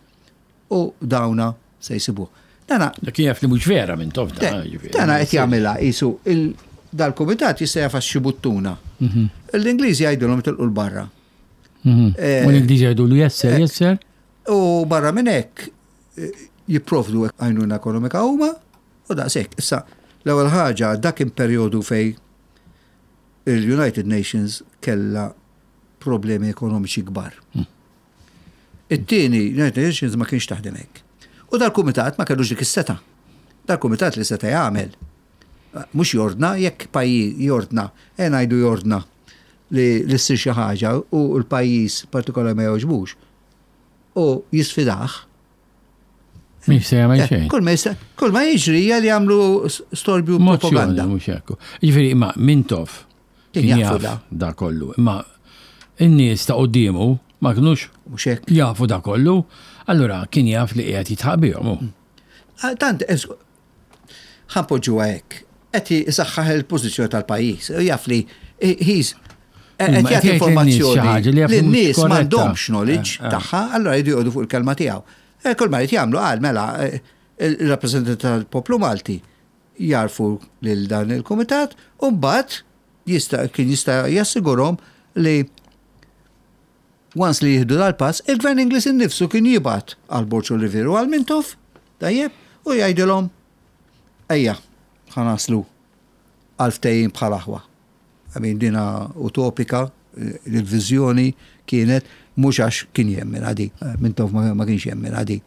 Speaker 2: U dawna se jsibuh.
Speaker 1: Dana. Dak jaf li mhux vera minn tof da.
Speaker 2: Dana qed jagħmilha qisu dal-kumitat jista' jafas xi buttuna. Mhm. L-Ingliżi jgħidulhom tilqu l-barra.
Speaker 1: Mhm. Eh, u l-Ingliżi jgħidulu yes sir, eh, yes sir.
Speaker 2: U barra minn hekk eh, jipprovdu għajnuna ekonomika huma u daqshekk. Issa, l-ewwel ħaġa dak kien perjodu fej il-United Nations kella problemi ekonomiċi kbar. Hmm. It-tieni, United Nations ma kienx taħdem hekk. U dal-kumitat ma kellux dik is-seta. Dal-kumitat li seta' jagħmel mhux jordna jekk pajjiż jordna, e ngħidu jordna. li ssir xi ħaġa u l-pajjiż partikolari ma jogħġbux u jisfidah.
Speaker 1: Mhix se jagħmel eh, xejn.
Speaker 2: Kull ma kull ma jiġri hija li jagħmlu storbju propaganda.
Speaker 1: Mhux hekk. Jiġifieri imma Mintoff kien jafu da kollu. Imma in-nies ta' quddiemu ma kinux jafu da kollu, allura kien jaf li qiegħed jitħaq bihom. Mm.
Speaker 2: Ah, tant, ħa npoġġuha hekk, qed isaħħaħ il-pożizzjoni tal-pajjiż. Jaf li he's qed jagħti informazzjoni li n-nies m'għandhomx knowledge eh, eh. tagħha, allura jridu joqogħdu fuq il-kelma tiegħu. Eh, kull ma jrid jagħmlu qal mela il-rappreżentanti tal-poplu Malti jarfu lil dan il-kumitat u mbagħad jista' kien jista' jassigurhom li Once li jieħdu dal-pass, il-Gvern Ingliż innifsu kien jibgħat għal Borg Olivier u għal Mintoff, tajjeb, u jgħidilhom ejja, ħa naslu għal ftehim bħal aħwa. I mean, dina utopika, il-viżjoni kienet mhux għax kien jemmen di, Mintoff ma kienx jemmen di.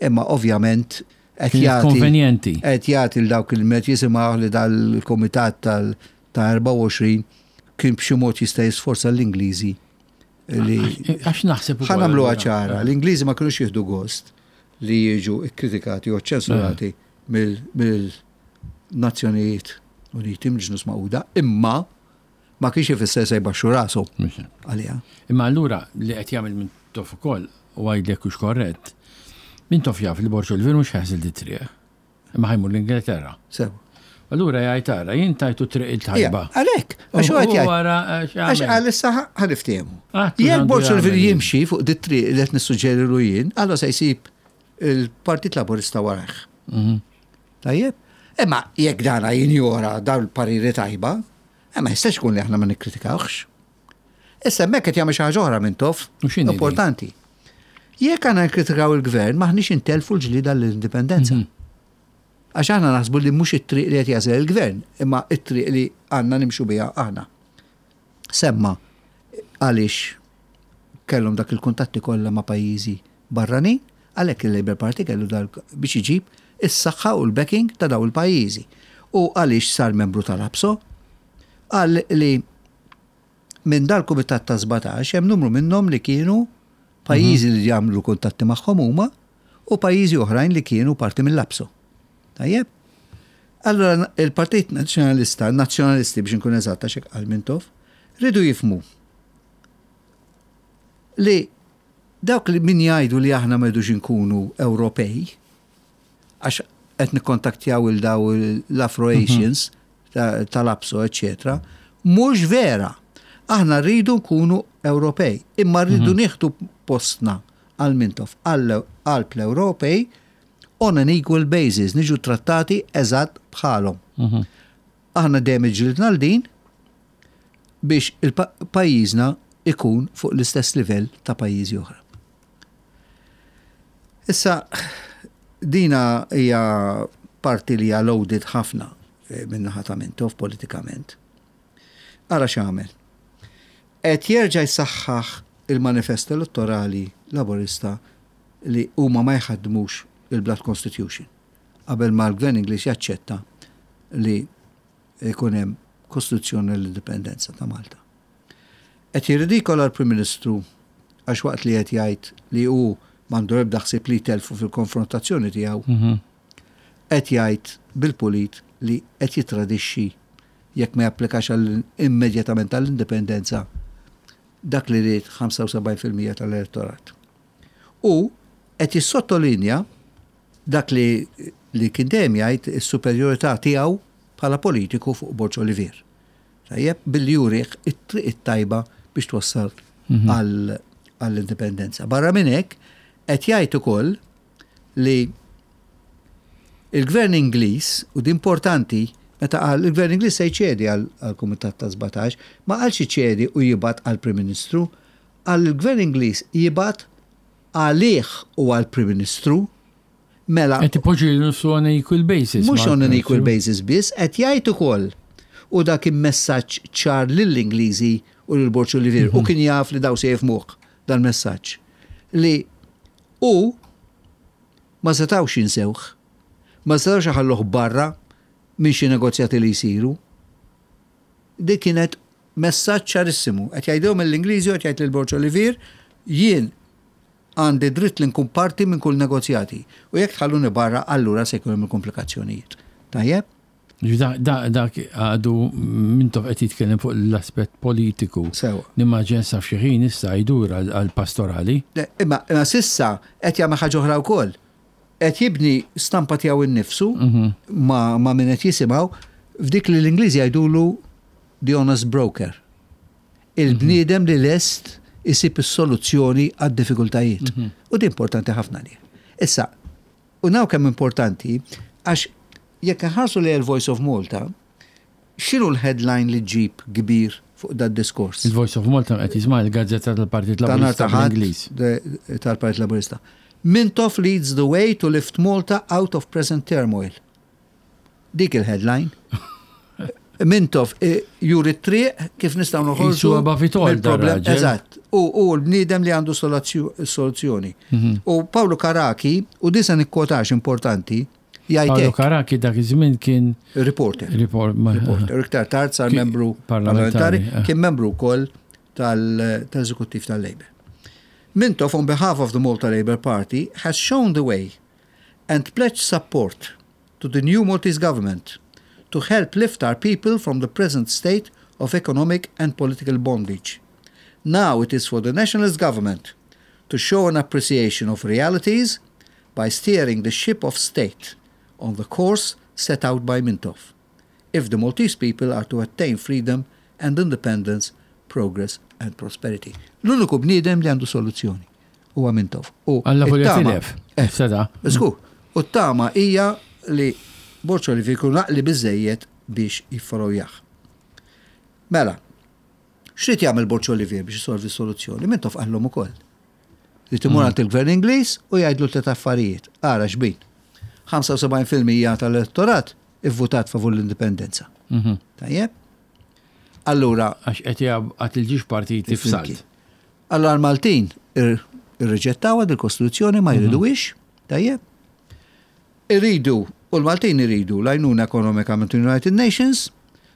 Speaker 2: Imma ovvjament qed jagħti
Speaker 1: konvenjenti.
Speaker 2: Qed jagħti l dawk il-met jisimgħu li dal-kumitat tal ta' 24 kien b'xi mod jista' jisforza l-Ingliżi li.
Speaker 1: Għax naħseb
Speaker 2: ukoll. Ħa nagħmluha ċara, l-Ingliżi ma kinux jieħdu gost li jiġu kkritikati u ċensurati mill-Nazzjonijiet Uniti, mill-Ġnus Magħquda, imma ma kienx ifisser se jbaxxu rashom għaliha.
Speaker 1: Imma allura li qed jagħmel Mintoff ukoll, u għidli jekk hux korrett, Mintoff jaf li Borg Olivier mhux ħa jaħżel dit-triq. Imma ħa jmur l-Ingilterra.
Speaker 2: Sew.
Speaker 1: Allura jgħid ara, jien tajtu triq il-tajba.
Speaker 2: Għalhekk, għax huwa qed jgħid. Għax qal issa ħa niftehmu. Jekk Borg Olivier jimxi fuq dit-triq li qed nissuġġerilu jien, allura se jsib il-Partit Laburista warajh. Mhm. Tajjeb? Imma jekk dana jinjora dawn il-pariri tajba, eh, ma jistax ikun li aħna ma nikkritikawhx. Issa hemmhekk qed jagħmel xi ħaġa oħra Mintoff, importanti. Jekk aħna nikkritikaw il-gvern m'aħniex intellfu l-ġlieda l-indipendenza. Mhm. Għax aħna naħsbu li mhux it-triq li qed jagħżel il-gvern, imma it-triq li għandna nimxu biha aħna. Semma għaliex kellhom dak il-kuntatti kollha ma' pajjiżi barranin, għalhekk il-Labour Party kellu dal biex iġib is-saħħa u l-backing ta' daw il-pajjiżi. U għaliex sar membru tal-APSO, qal li Minn dal-kumitat ta' 17 hemm numru minnhom li kienu pajjiżi li jagħmlu kuntatti magħhom huma u pajjiżi oħrajn li kienu parti mill-APSO. Tajjeb? Allura il-Partit Nazzjonalista, nazzjonalisti biex inkun eżatt għax hekk qal Mintoff, riedu jifhmu li dawk li min jgħidu li aħna ma rridux inkunu Ewropej, għax qed nikkontaktjaw il daw l-Afro-Asians tal-APSO, eċċetera, mhux vera. Aħna rridu nkunu Ewropej, imma rridu mhm. nieħdu postna għal Mintoff qalb l-Ewropej on an equal basis, niġu trattati eżatt bħalhom. Mhm. Aħna dejjem iġġilidna għal din biex il-pajjiżna ikun fuq l-istess livell ta' pajjiżi oħra. Issa, dina hija parti li hija loaded ħafna eh, min-naħa ta' Mintoff politikament. Ara x'għamel. Qed jerġa' jsaħħaħ il-manifest elettorali Laburista li huma ma jħaddmux il-Blood Constitution qabel ma l-Gvern Ingliż jaċċetta li jkun hemm Kostituzzjoni l-Indipendenza ta' Malta. Qed jirridikola l-Prim Ministru għax waqt li qed jgħid li hu m'għandu l-ebda ħsieb li jtellfu fil-konfrontazzjoni tiegħu, qed jgħid bil-pulit li qed jittradixxi jekk ma japplikax immedjatament għall-indipendenza dak li ried 75% tal-elettorat. U qed jissottolinja dak li li kien dejjem jgħid is-superjorità tiegħu bħala politiku fuq Borg Olivier. Tajjeb, billi jurih it-triq it-tajba biex twassal mhm. għall-indipendenza. Barra minn hekk, qed jgħid ukoll li il-gvern Ingliż, u di importanti, meta qal il-gvern Ingliż se jċedi għall-Kumitat ta' 17, ma qalx iċedi u jibgħat għall-Prim Ministru, qal il-gvern Ingliż jibgħat għalih u għall-Prim Ministru Mela.
Speaker 1: Qed ipoġġi lilu nnifsu on an equal basis.
Speaker 2: Mhux on an equal basis biss, qed jgħid ukoll u dak kien messaġġ ċar lill-Ingliżi u lil Borg Olivier u mhm. kien jaf li daw se jifhmuh dal-messaġġ li hu ma setgħux jinsewh, ma setgħux iħalluh barra minn xi negozjati li jsiru. Dik kienet Messaġġ ċarissimu. Qed jgħidilhom lill-Ingliżi u qed jgħid lil Borg Olivier, jien għandi dritt li nkun parti minn kull negozjati. U jekk tħalluni barra, allura se jkun hemm il-komplikazzjonijiet. Tajjeb?
Speaker 1: Dak għadu Mintoff qed jitkellem fuq l-aspett politiku.
Speaker 2: Sewa.
Speaker 1: Nimmaġina sa f'xi ħin issa jdur għall-pastorali.
Speaker 2: Imma s'issa qed jagħmel ħaġa oħra wkoll. Qed jibni stampa tiegħu nnifsu ma' min qed jisimgħu f'dik li l-Ingliżi jgħidulu the honest broker. Il-bniedem li lest isib is-soluzzjoni għad-diffikultajiet. U din importanti ħafna għalih. Issa, U naw kemm importanti, għax jekk inħarsu lejn il-Voice of Malta, x'inhu l-headline li ġġib kbir fuq dad-diskors?
Speaker 1: Il-Voice of Malta qed jisma' il-gazzetta tal-Partit Laburista bl-Ingliż.
Speaker 2: Tal-Partit Laburista. Mintoff leads the way to lift Malta out of present turmoil. Dik il-headline. Mintoff eh, juri t-triq kif nistgħu noħorġu.
Speaker 1: mill-problem.
Speaker 2: Eżatt. U l-bniedem li għandu soluzzjoni. Mhm. U Paolo Karaki, u disa nikkotax importanti,
Speaker 1: jgħid. Paolo Karaki dak iż-żmien kien
Speaker 2: reporter. Reporter. Iktar tard sar membru parlamentari, eh. kien membru wkoll tal-eżekuttiv tal-Labour. Mintoff on behalf of the Malta Labour Party has shown the way and pledged support to the new Maltese government to help lift our people from the present state of economic and political bondage. Now it is for the nationalist government to show an appreciation of realities by steering the ship of state on the course set out by Mintoff, if the Maltese people are to attain freedom and independence, progress and prosperity. L-uniku bniedem li għandu soluzzjoni huwa Mintoff.
Speaker 1: U Alla volja tilef. Eh,
Speaker 2: Seda. Żgur. U t-tama hija li Borg Olivier jkun għaqli biżejjed biex jiffollowjah. Mela, x'rid jagħmel Borg Olivier biex isolvi s-soluzzjoni? Mintoff qallhom ukoll. Li timur għand il-Gvern Ingliż u jgħidlu tliet affarijiet. Ara xbin. 75% tal-elettorat ivvutat favur l-indipendenza. Tajjeb? Allura.
Speaker 1: Għax qed jgħat il-ġiex partiti f'salt.
Speaker 2: Allura l-Maltin irriġettawha dil-Kostituzzjoni ma jriduhiex, tajjeb. Iridu, u l-Maltin iridu l-għajnuna ekonomika minn United Nations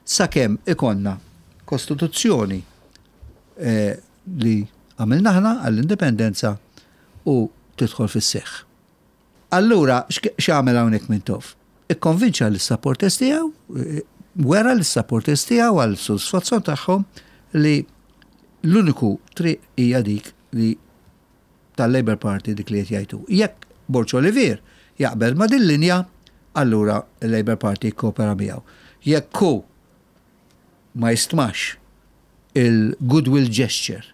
Speaker 2: sakemm ikollna Kostituzzjoni eh, li għamilna aħna għall-indipendenza u tidħol fis-seħħ. Allura x'għamel hawnhekk Mintoff? Ikkonvinċa lis-supporters tiegħu, wera lis-supporters tiegħu għal sodisfazzjon tagħhom li l-uniku triq hija dik li tal-Labour Party dik li qed jgħid hu. Jekk Borg Olivier jaqbel ma' din linja, allura l-Labour Party jikkopera miegħu. Jekk hu ma jistmax il-goodwill gesture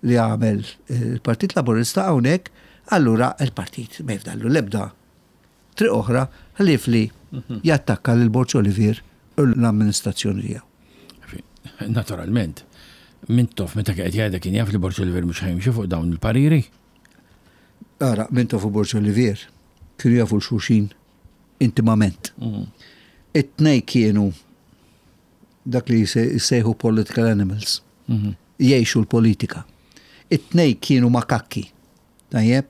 Speaker 2: li għamel il-Partit Laburista hawnhekk, allura il-partit ma jifdallu l-ebda triq oħra ħlief li mhm. jattakka lil Borg Olivier u l-amministrazzjoni tiegħu.
Speaker 1: Naturalment, Mintoff meta qed jgħidha kien jaf li Borg Olivier mhux ħajmxi fuq dawn il-pariri.
Speaker 2: Ara, Mintoff u Borg Olivier kienu jafu l-xulxin intimament. Mhm. It-tnej kienu dak li jsejħu political animals. Mhm. Jgħixu l-politika. It-tnej kienu makakki. Tajjeb?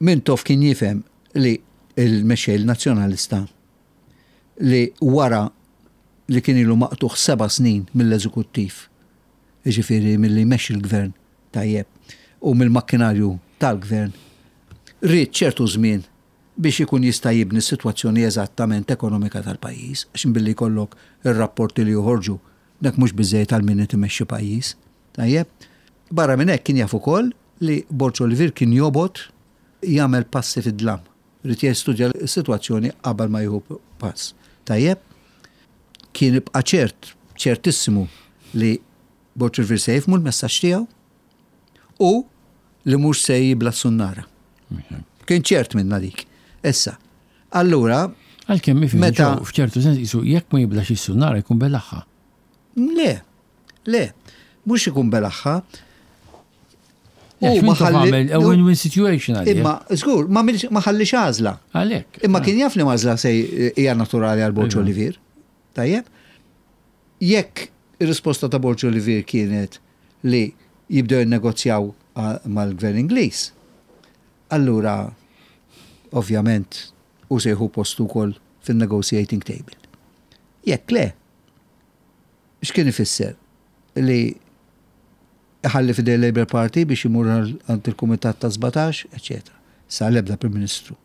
Speaker 2: Mintoff kien jifhem li il-mexxej nazzjonalista li wara li kien ilu maqtugħ seba' snin mill-eżekuttiv, jiġifieri milli jmexxi l-gvern tajjeb u mill-makkinarju tal-gvern, ried ċertu żmien biex ikun jista' jibni s-sitwazzjoni eżattament ekonomika tal-pajjiż, għax billi jkollok ir-rapporti li joħorġu, dak mhux biżżejjed għal min qed imexxi pajjiż. Tajjeb? Barra minn hekk kien jaf ukoll li Borg Olivier kien jobgħod jagħmel passi fid-dlam. Ried jistudja s-sitwazzjoni qabel ma jieħu pass. Tajjeb? Kien ibqa' ċert, ċertissimu li Borg Olivier se jifhmu l-messaġġ tiegħu u li mhux se jibla' s-sunnara. Kien ċert minna dik. Issa, allura.
Speaker 1: Għalkemm meta f'ċertu sens jisu jekk ma jiblax is-sunnara jkun belaħħa.
Speaker 2: Le, le, mhux ikun belaħħa.
Speaker 1: U ma ħalli a win-win situation
Speaker 2: għalih. Imma, żgur, ma ħallix għażla.
Speaker 1: Għalhekk.
Speaker 2: Imma kien jaf li għażla se hija naturali għal Borġ iva. Olivier. Tajjeb? Jekk ir-risposta ta' Borġ Olivier kienet li jibdew jinnegozjaw mal-gvern Ingliż, allura ovvjament hu se jieħu postu wkoll fin-negotiating table. Jekk le, x'kien ifisser? li iħalli f'idejn il-Labour Party biex imur għand il-Kumitat ta' 17, eċċetera. Sa l-ebda Prim Ministru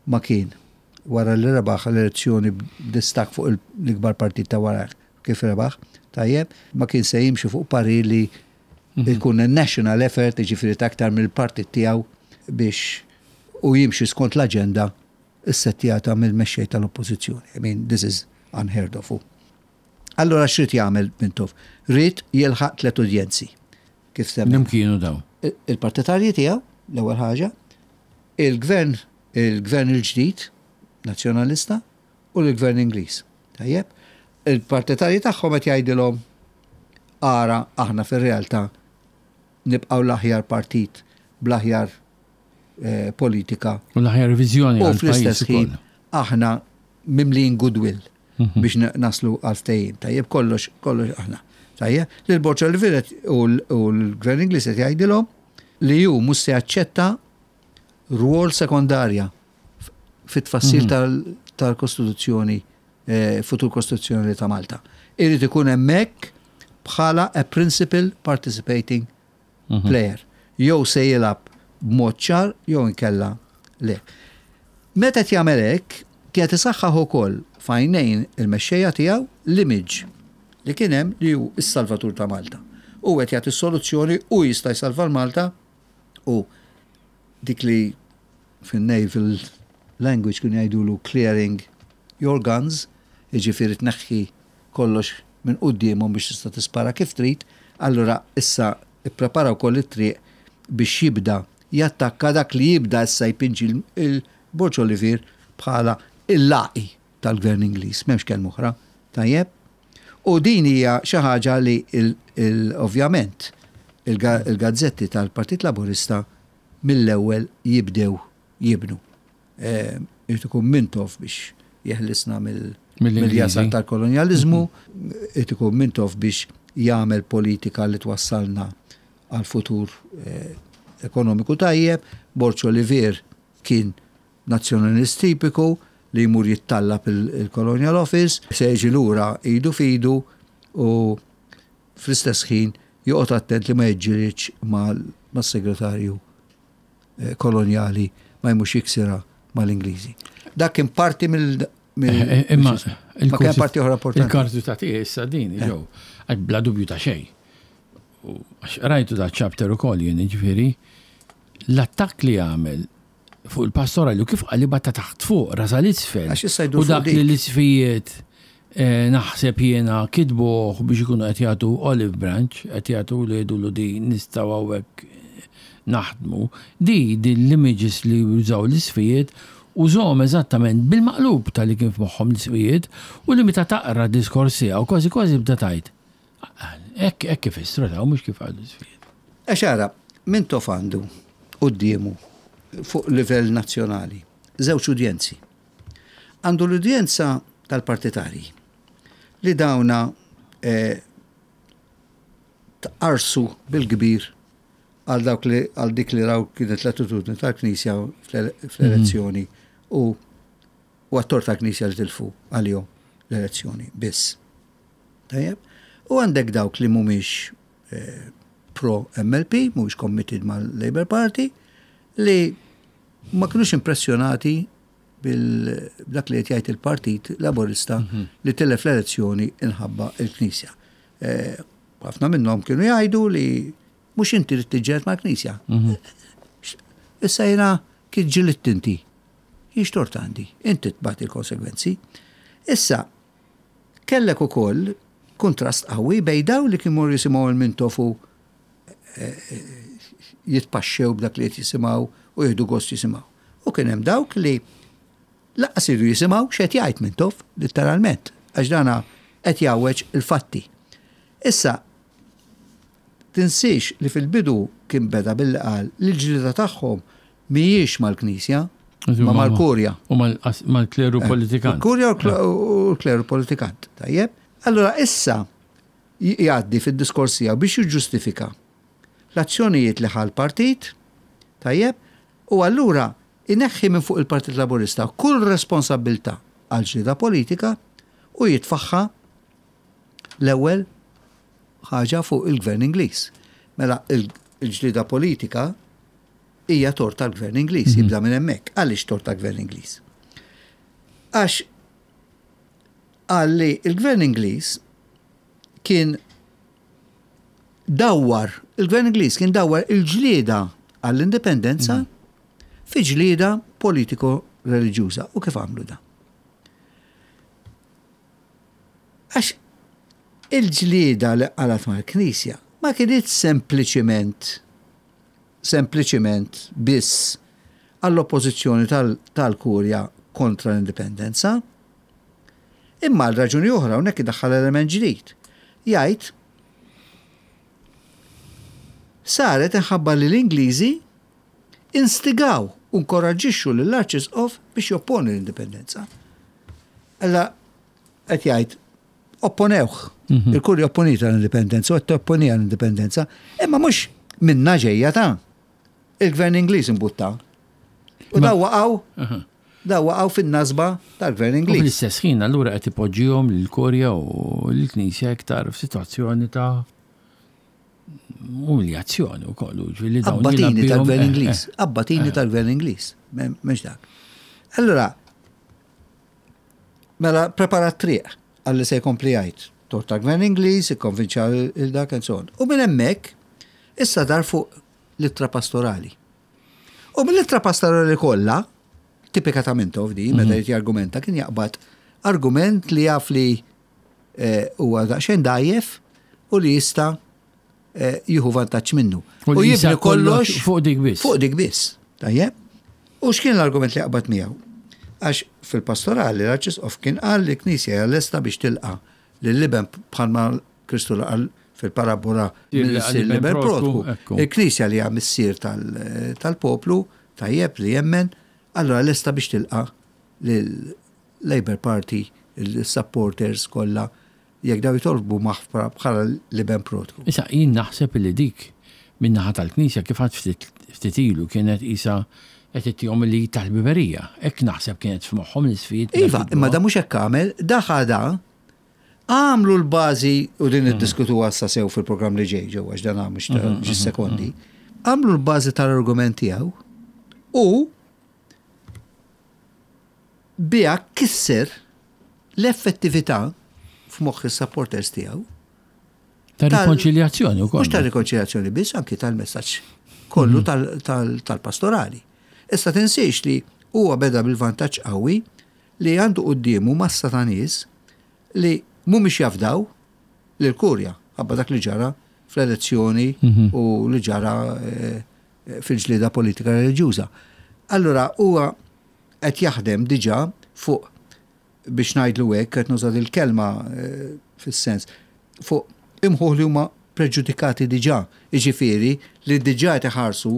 Speaker 2: ma kien wara li rebaħ l-elezzjoni b'distakk fuq l-ikbar partit ta' warajh kif rebaħ, tajjeb, ma kien se jimxi fuq parir li jkun national effort, jiġifieri ta' aktar mill-partit tiegħu biex u jimxi skont l-aġenda ssettjata mill-mexxej tal-Oppożizzjoni. I mean, this is unheard of. Allura x'rid jagħmel Mintoff? Ried jilħaq tlet udjenzi. Kif
Speaker 1: semmejt. Min kienu dawn?
Speaker 2: Il-partitarji tiegħu, l-ewwel ħaġa, il-gvern, il-gvern il-ġdid Nazzjonalista u l-gvern Ingliż. Tajjeb? Il-partitarji tagħhom qed jgħidilhom ara aħna fir-realtà nibqgħu l-aħjar partit bl-aħjar eh, politika.
Speaker 1: U l-aħjar viżjoni.
Speaker 2: U fl-istess ħin aħna mimlijin goodwill mhm. biex naslu għal ftehim. Tajjeb kollox, kollox aħna. Tajjeb, li l-Borċa l-Viret u l-Gvern Ingliż qed jgħidilhom li hu mhux se jaċċetta rwol sekondarja fit-tfassil mhm. tal-Kostituzzjoni, eh, futur Kostituzzjoni ta' Malta. Irid ikun hemmhekk bħala a principal participating mhm. player. Jew se jilgħab b'mod ċar jew inkella le. Meta qed jagħmel hekk, kienet isaħħaħ ukoll f'għajnejn il-mexxejja tiegħu l-image li kien hemm li hu s-salvatur ta' Malta. U qed jagħti soluzzjoni u jista' jsalva l-Malta u dik li fin-naval language kienu jgħidulu clearing your guns, jiġifieri tneħħi kollox minn quddiemhom biex tista' tispara kif trid, allura issa pprepara wkoll it-triq biex jibda jattakka dak li jibda issa jpinġi 'l Borg Olivier bħala l-laqi tal-Gvern Ingliż, m'hemmx kelma oħra. Tajjeb? U din hija xi ħaġa li ovvjament il-gazzetti tal-Partit Laburista mill-ewwel jibdew jibnu. Irid ikun Mintoff biex jeħlisna mill-jasar tal-kolonjaliżmu, irid ikun Mintoff biex jagħmel politika li twassalna għal futur ekonomiku tajjeb. Borg Olivier kien nazzjonalist tipiku li jmur jittallab il-Colonial Office, se jiġi lura idu f'idu u fl-istess ħin joqgħod attent li ma jiġġielidx mas-segretarju eh, kolonjali ma jmux jiksira mal-Ingliżi. Dak kien parti mill
Speaker 1: eh, eh, Imma
Speaker 2: ma kien parti oħra importanti.
Speaker 1: Il-kartu ta' tiegħi issa din eh. ġew, bla dubju ta' xejn. Għax rajtu da chapter ukoll jien ġifieri l-attakk li għamel fuq il-pastorali u kif qalibha ta' taħt fuq, rasa l-isfel. U dak li l-isfijiet eh, naħseb jiena kitbuh biex ikunu qed jagħtu olive branch, qed jagħtu li jgħidulu di nistgħu hawnhekk naħdmu. Di din l-images li jużaw l-isfijiet użahom eżattament bil-maqlub ta' li kien f'moħħhom l-isfijiet u li meta taqra diskors tiegħu kważi kważi bda tgħid. Hekk hekk ifissru daw mhux kif qalu l-isfijiet.
Speaker 2: Għax ara, Mintoff għandu quddiemu fuq livell nazzjonali żewġ udjenzi. Għandu l-udjenza tal-partitarji li dawna eh, tqarsu bil-kbir għal dawk li għal dik li raw kienet l-attitudni tal-Knisja fl-elezzjoni u u għat-tort tal-Knisja li tilfu għalihom l-elezzjoni biss. Tajjeb? U għandek dawk li mhumiex eh, pro MLP, mhumiex committed mal-Labour Party, li ma kinux impressjonati bil-dak li qed jgħid il-Partit Laburista mhm. li tilef l-elezzjoni inħabba il-Knisja. Eh, ħafna minnhom kienu jgħidu li mhux inti li tiġġieled mal-Knisja. Mhm. Issa jiena kif ġilidt inti. Jien x'tort għandi? Inti tbati l-konsegwenzi. Issa, kellek ukoll kuntrast qawwi bejn dawn li kienu jisimgħu il-Mintoff u eh, eh, jitpaxxew b'dak li qed jisimgħu u jieħdu gost jisimgħu. U kien hemm dawk li Lanqas iridu jisimgħu x'qed jgħid Mintoff, litteralment, għax dana qed jgħawweġ il-fatti. Issa, tinsiex li fil-bidu kien beda billi qal li l-ġlieda tagħhom mhijiex mal-Knisja, ma mal-Kurja.
Speaker 1: U mal-kleru eh, politikant.
Speaker 2: Il-Kurja u l-kleru politikant, tajjeb. Allura issa jgħaddi fid-diskors tiegħu biex jiġġustifika l-azzjonijiet li ħa l-partit, tajjeb, u allura Ineħħi minn fuq il-Partit Laburista kull responsabbiltà għall-ġlieda politika u jitfagħha l-ewwel ħaġa fuq il-Gvern Ingliż. Mela il-ġlieda politika hija tort tal-Gvern Ingliż, mhm. jibda minn hemmhekk. Għaliex tort tal-Gvern Ingliż? Għax qal li il-Gvern Ingliż kien dawwar, il-Gvern Ingliż kien dawwar il-ġlieda għall-indipendenza mhm. fi ġlieda politiko-reliġjuża. U kif għamlu da? Għax il-ġlieda li qalat mal-Knisja ma kinitx sempliċiment sempliċiment biss għall-oppożizzjoni tal-Kurja kontra l-indipendenza, imma għal raġuni oħra hawnhekk idaħħal element ġdid. Jgħid saret inħabba li l-Ingliżi instigaw u nkoraġġixxu lill-Arċisqof biex jopponi l-indipendenza. Alla qed jgħid opponewh. Mhm. Il-kurja opponiet l-indipendenza u qed topponiha l-indipendenza, imma mhux minna ġejja ta' il-gvern Ingliż imbutta. U daw waqgħu daw waqgħu fin-nasba tal-gvern Ingliż.
Speaker 1: Fl-istess ħin allura qed ipoġġihom lill-Kurja u l-Knisja iktar f'sitwazzjoni ta' umiljazzjoni wkoll.
Speaker 2: Abbatini tal-gvern eh, Ingliż, eh. abbatini eh. tal-gvern Ingliż, mhux dak. Allura, mela prepara triq għalli se jkompli jgħid. Tort tal-gvern Ingliż, ikkonvinċa il-dak and so on. U minn hemmhekk issa dar fuq l-ittra pastorali. U mill-ittra pastorali kollha, tipika ta' Mintoff di, meta mhm. jrid jargumenta, kien jaqbad argument li jaf li eh, huwa daqsxejn dgħajjef u li jista' eh, jieħu vantaġġ minnu.
Speaker 1: U jibni kollox fuq dik biss.
Speaker 2: Fuq dik biss. Tajjeb? U x'kien l-argument li qbad miegħu? Għax fil-pastorali l-Arċisqof kien qal li knisja hija lesta biex tilqa' lill-iben bħalma Kristu laqal fil-parabola mill-iben protku. Il-Knisja li hija missier tal-poplu, tajjeb li jemmen, allura lesta biex tilqa' Labour Party, il-supporters kollha, jekk daw jitolbu maħfra bħala l-iben protku.
Speaker 1: Issa, jien naħseb li dik min-naħa tal-Knisja kif għadt ftit ftit ilu kienet qisha qed ittihom il-lead tal-ħbiberija. Hekk naħseb kienet f'moħħhom l-isfid.
Speaker 2: Iva, imma da mhux hekk għamel, da ħadha għamlu l-bażi u din niddiskutuha issa sew fil-programm li ġej ġewwa għax dan mhux ta' ġi sekondi. Għamlu l-bażi tal-argument tiegħu u Biha kisser l-effettività f'moħħ is-supporters tiegħu.
Speaker 1: Ta' rikonċiljazzjoni wkoll.
Speaker 2: Mhux ta' rikonċiljazzjoni biss, anki tal-messaġġ kollu mhm. tal-pastorali. Issa tinsiex li huwa beda bil-vantaġġ qawwi li għandu quddiemu massa ta' nies li mhumiex jafdaw lil kurja ħabba dak li ġara fl-elezzjoni mhm. u li ġara eh, fil-ġlieda politika reliġjuża. Allura huwa qed jaħdem diġà fuq, biex ngħidlu hekk, qed nuża dil-kelma fis-sens, fuq imħuħ li huma preġudikati diġà, jiġifieri li diġà qed iħarsu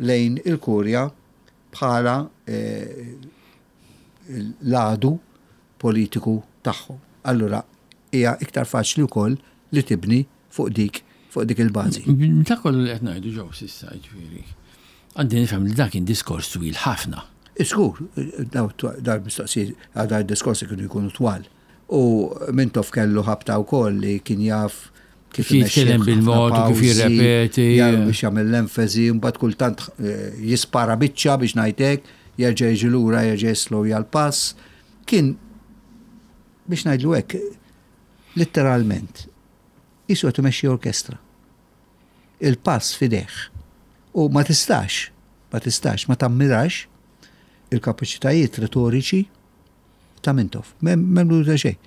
Speaker 2: lejn il-Kurja bħala l-għadu politiku tagħhom. Allura hija iktar faċli wkoll li tibni fuq dik fuq dik il-bażi.
Speaker 1: Dak kollu li qed ngħidu ġew s'issa, jiġifieri, għandi nifhem li dak kien diskors twil ħafna.
Speaker 2: Żgur, dawn il-mistoqsijiet, dawn id-diskorsi kienu jkunu twal. U Mintoff kellu ħabta wkoll li kien jaf
Speaker 1: kif jitkellem bil-mod u kif jirrepeti.
Speaker 2: Biex jagħmel l-enfasi, mbagħad kultant eh, jispara biċċa biex ngħidlek, jerġa' jiġi lura, jerġa' jislowja l-pass. Kien biex ngħidlu hekk, litteralment, qisu qed imexxi orkestra. Il-pass f'idejh. U ma tistax, ma tistax, ma tammirax il-kapaċitajiet retoriċi ta' Mintoff. M'hemm dubju ta' xejn.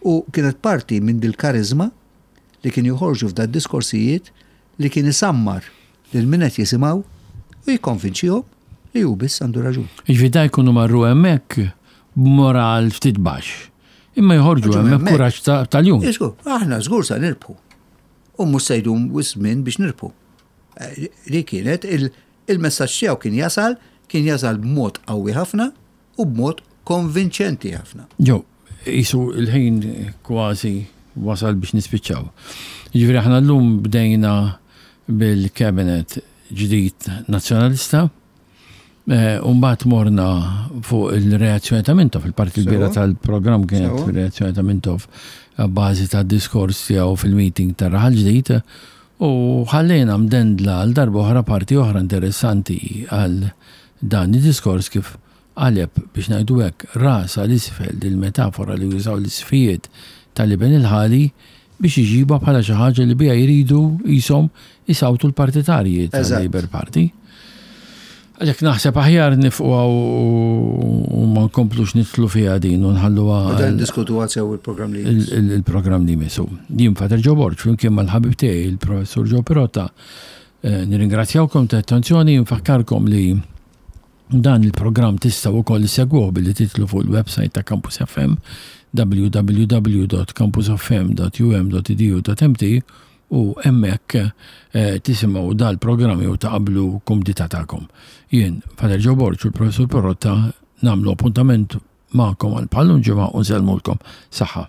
Speaker 2: U kienet parti minn dil-kariżma li kien joħorġu f'da diskorsijiet li kien isammar lil min qed jisimgħu u jikkonvinċihom li hu biss għandu raġun.
Speaker 1: Jiġifieri da jkunu marru hemmhekk b'moral ftit baxx. Imma joħorġu hemmhekk b'kuraġġ ta' ljun.
Speaker 2: Żgur, aħna żgur sa nirbħu. U mhux se jdum wisq żmien biex nirbħu. Li kienet il-messaġġ tiegħu kien jasal, kien jasal b'mod qawwi ħafna u b'mod konvinċenti ħafna.
Speaker 1: Joe, qisu l-ħin kważi wasal biex nispiċċaw. Jiġifieri aħna llum bdejna bil-cabinet ġdid Nazzjonalista, eh, u mbagħad morna fuq il-reazzjoni ta' Mintoff, il-parti kbira tal-programm kienet reazzjoni ta' Mintoff. bażi tad-diskors tiegħu fil-meeting ta' Raħal Ġdid u ħallejna mdendla għal darba oħra parti oħra interessanti għal dan id-diskors kif qaleb, biex ngħidu hekk, rasha 'l isfel dil-metafora li jużaw l-isqfijiet tal-iben il-ħali biex iġibha bħala xi ħaġa li biha jridu qishom isawtu l-partitarji tal-Labour Party. Għalhekk naħseb aħjar nifqu u ma nkomplux nidħlu fiha din u nħalluha.
Speaker 2: Dan diskutuha sew il-programm li
Speaker 1: jmiss. Il-programm li jmiss. Jien Father Joe Borg flimkien mal-ħabib tiegħi il-Professur Joe Pirotta eh, nirringrazzjawkom ta' attenzjoni, nfakkarkom li Dan il-programm tistgħu wkoll issegwuh billi tidħlu fuq il-website ta' Campus FM www.campusfm.um.edu.mt u hemmhekk eh, tisimgħu dal-programm jew taqablu kumdità tagħkom. Jien, Father Joe Borg u l-Professur Perrotta nagħmlu appuntament magħkom għal bħallum ġimgħa u nsellmulkom. Saħħa.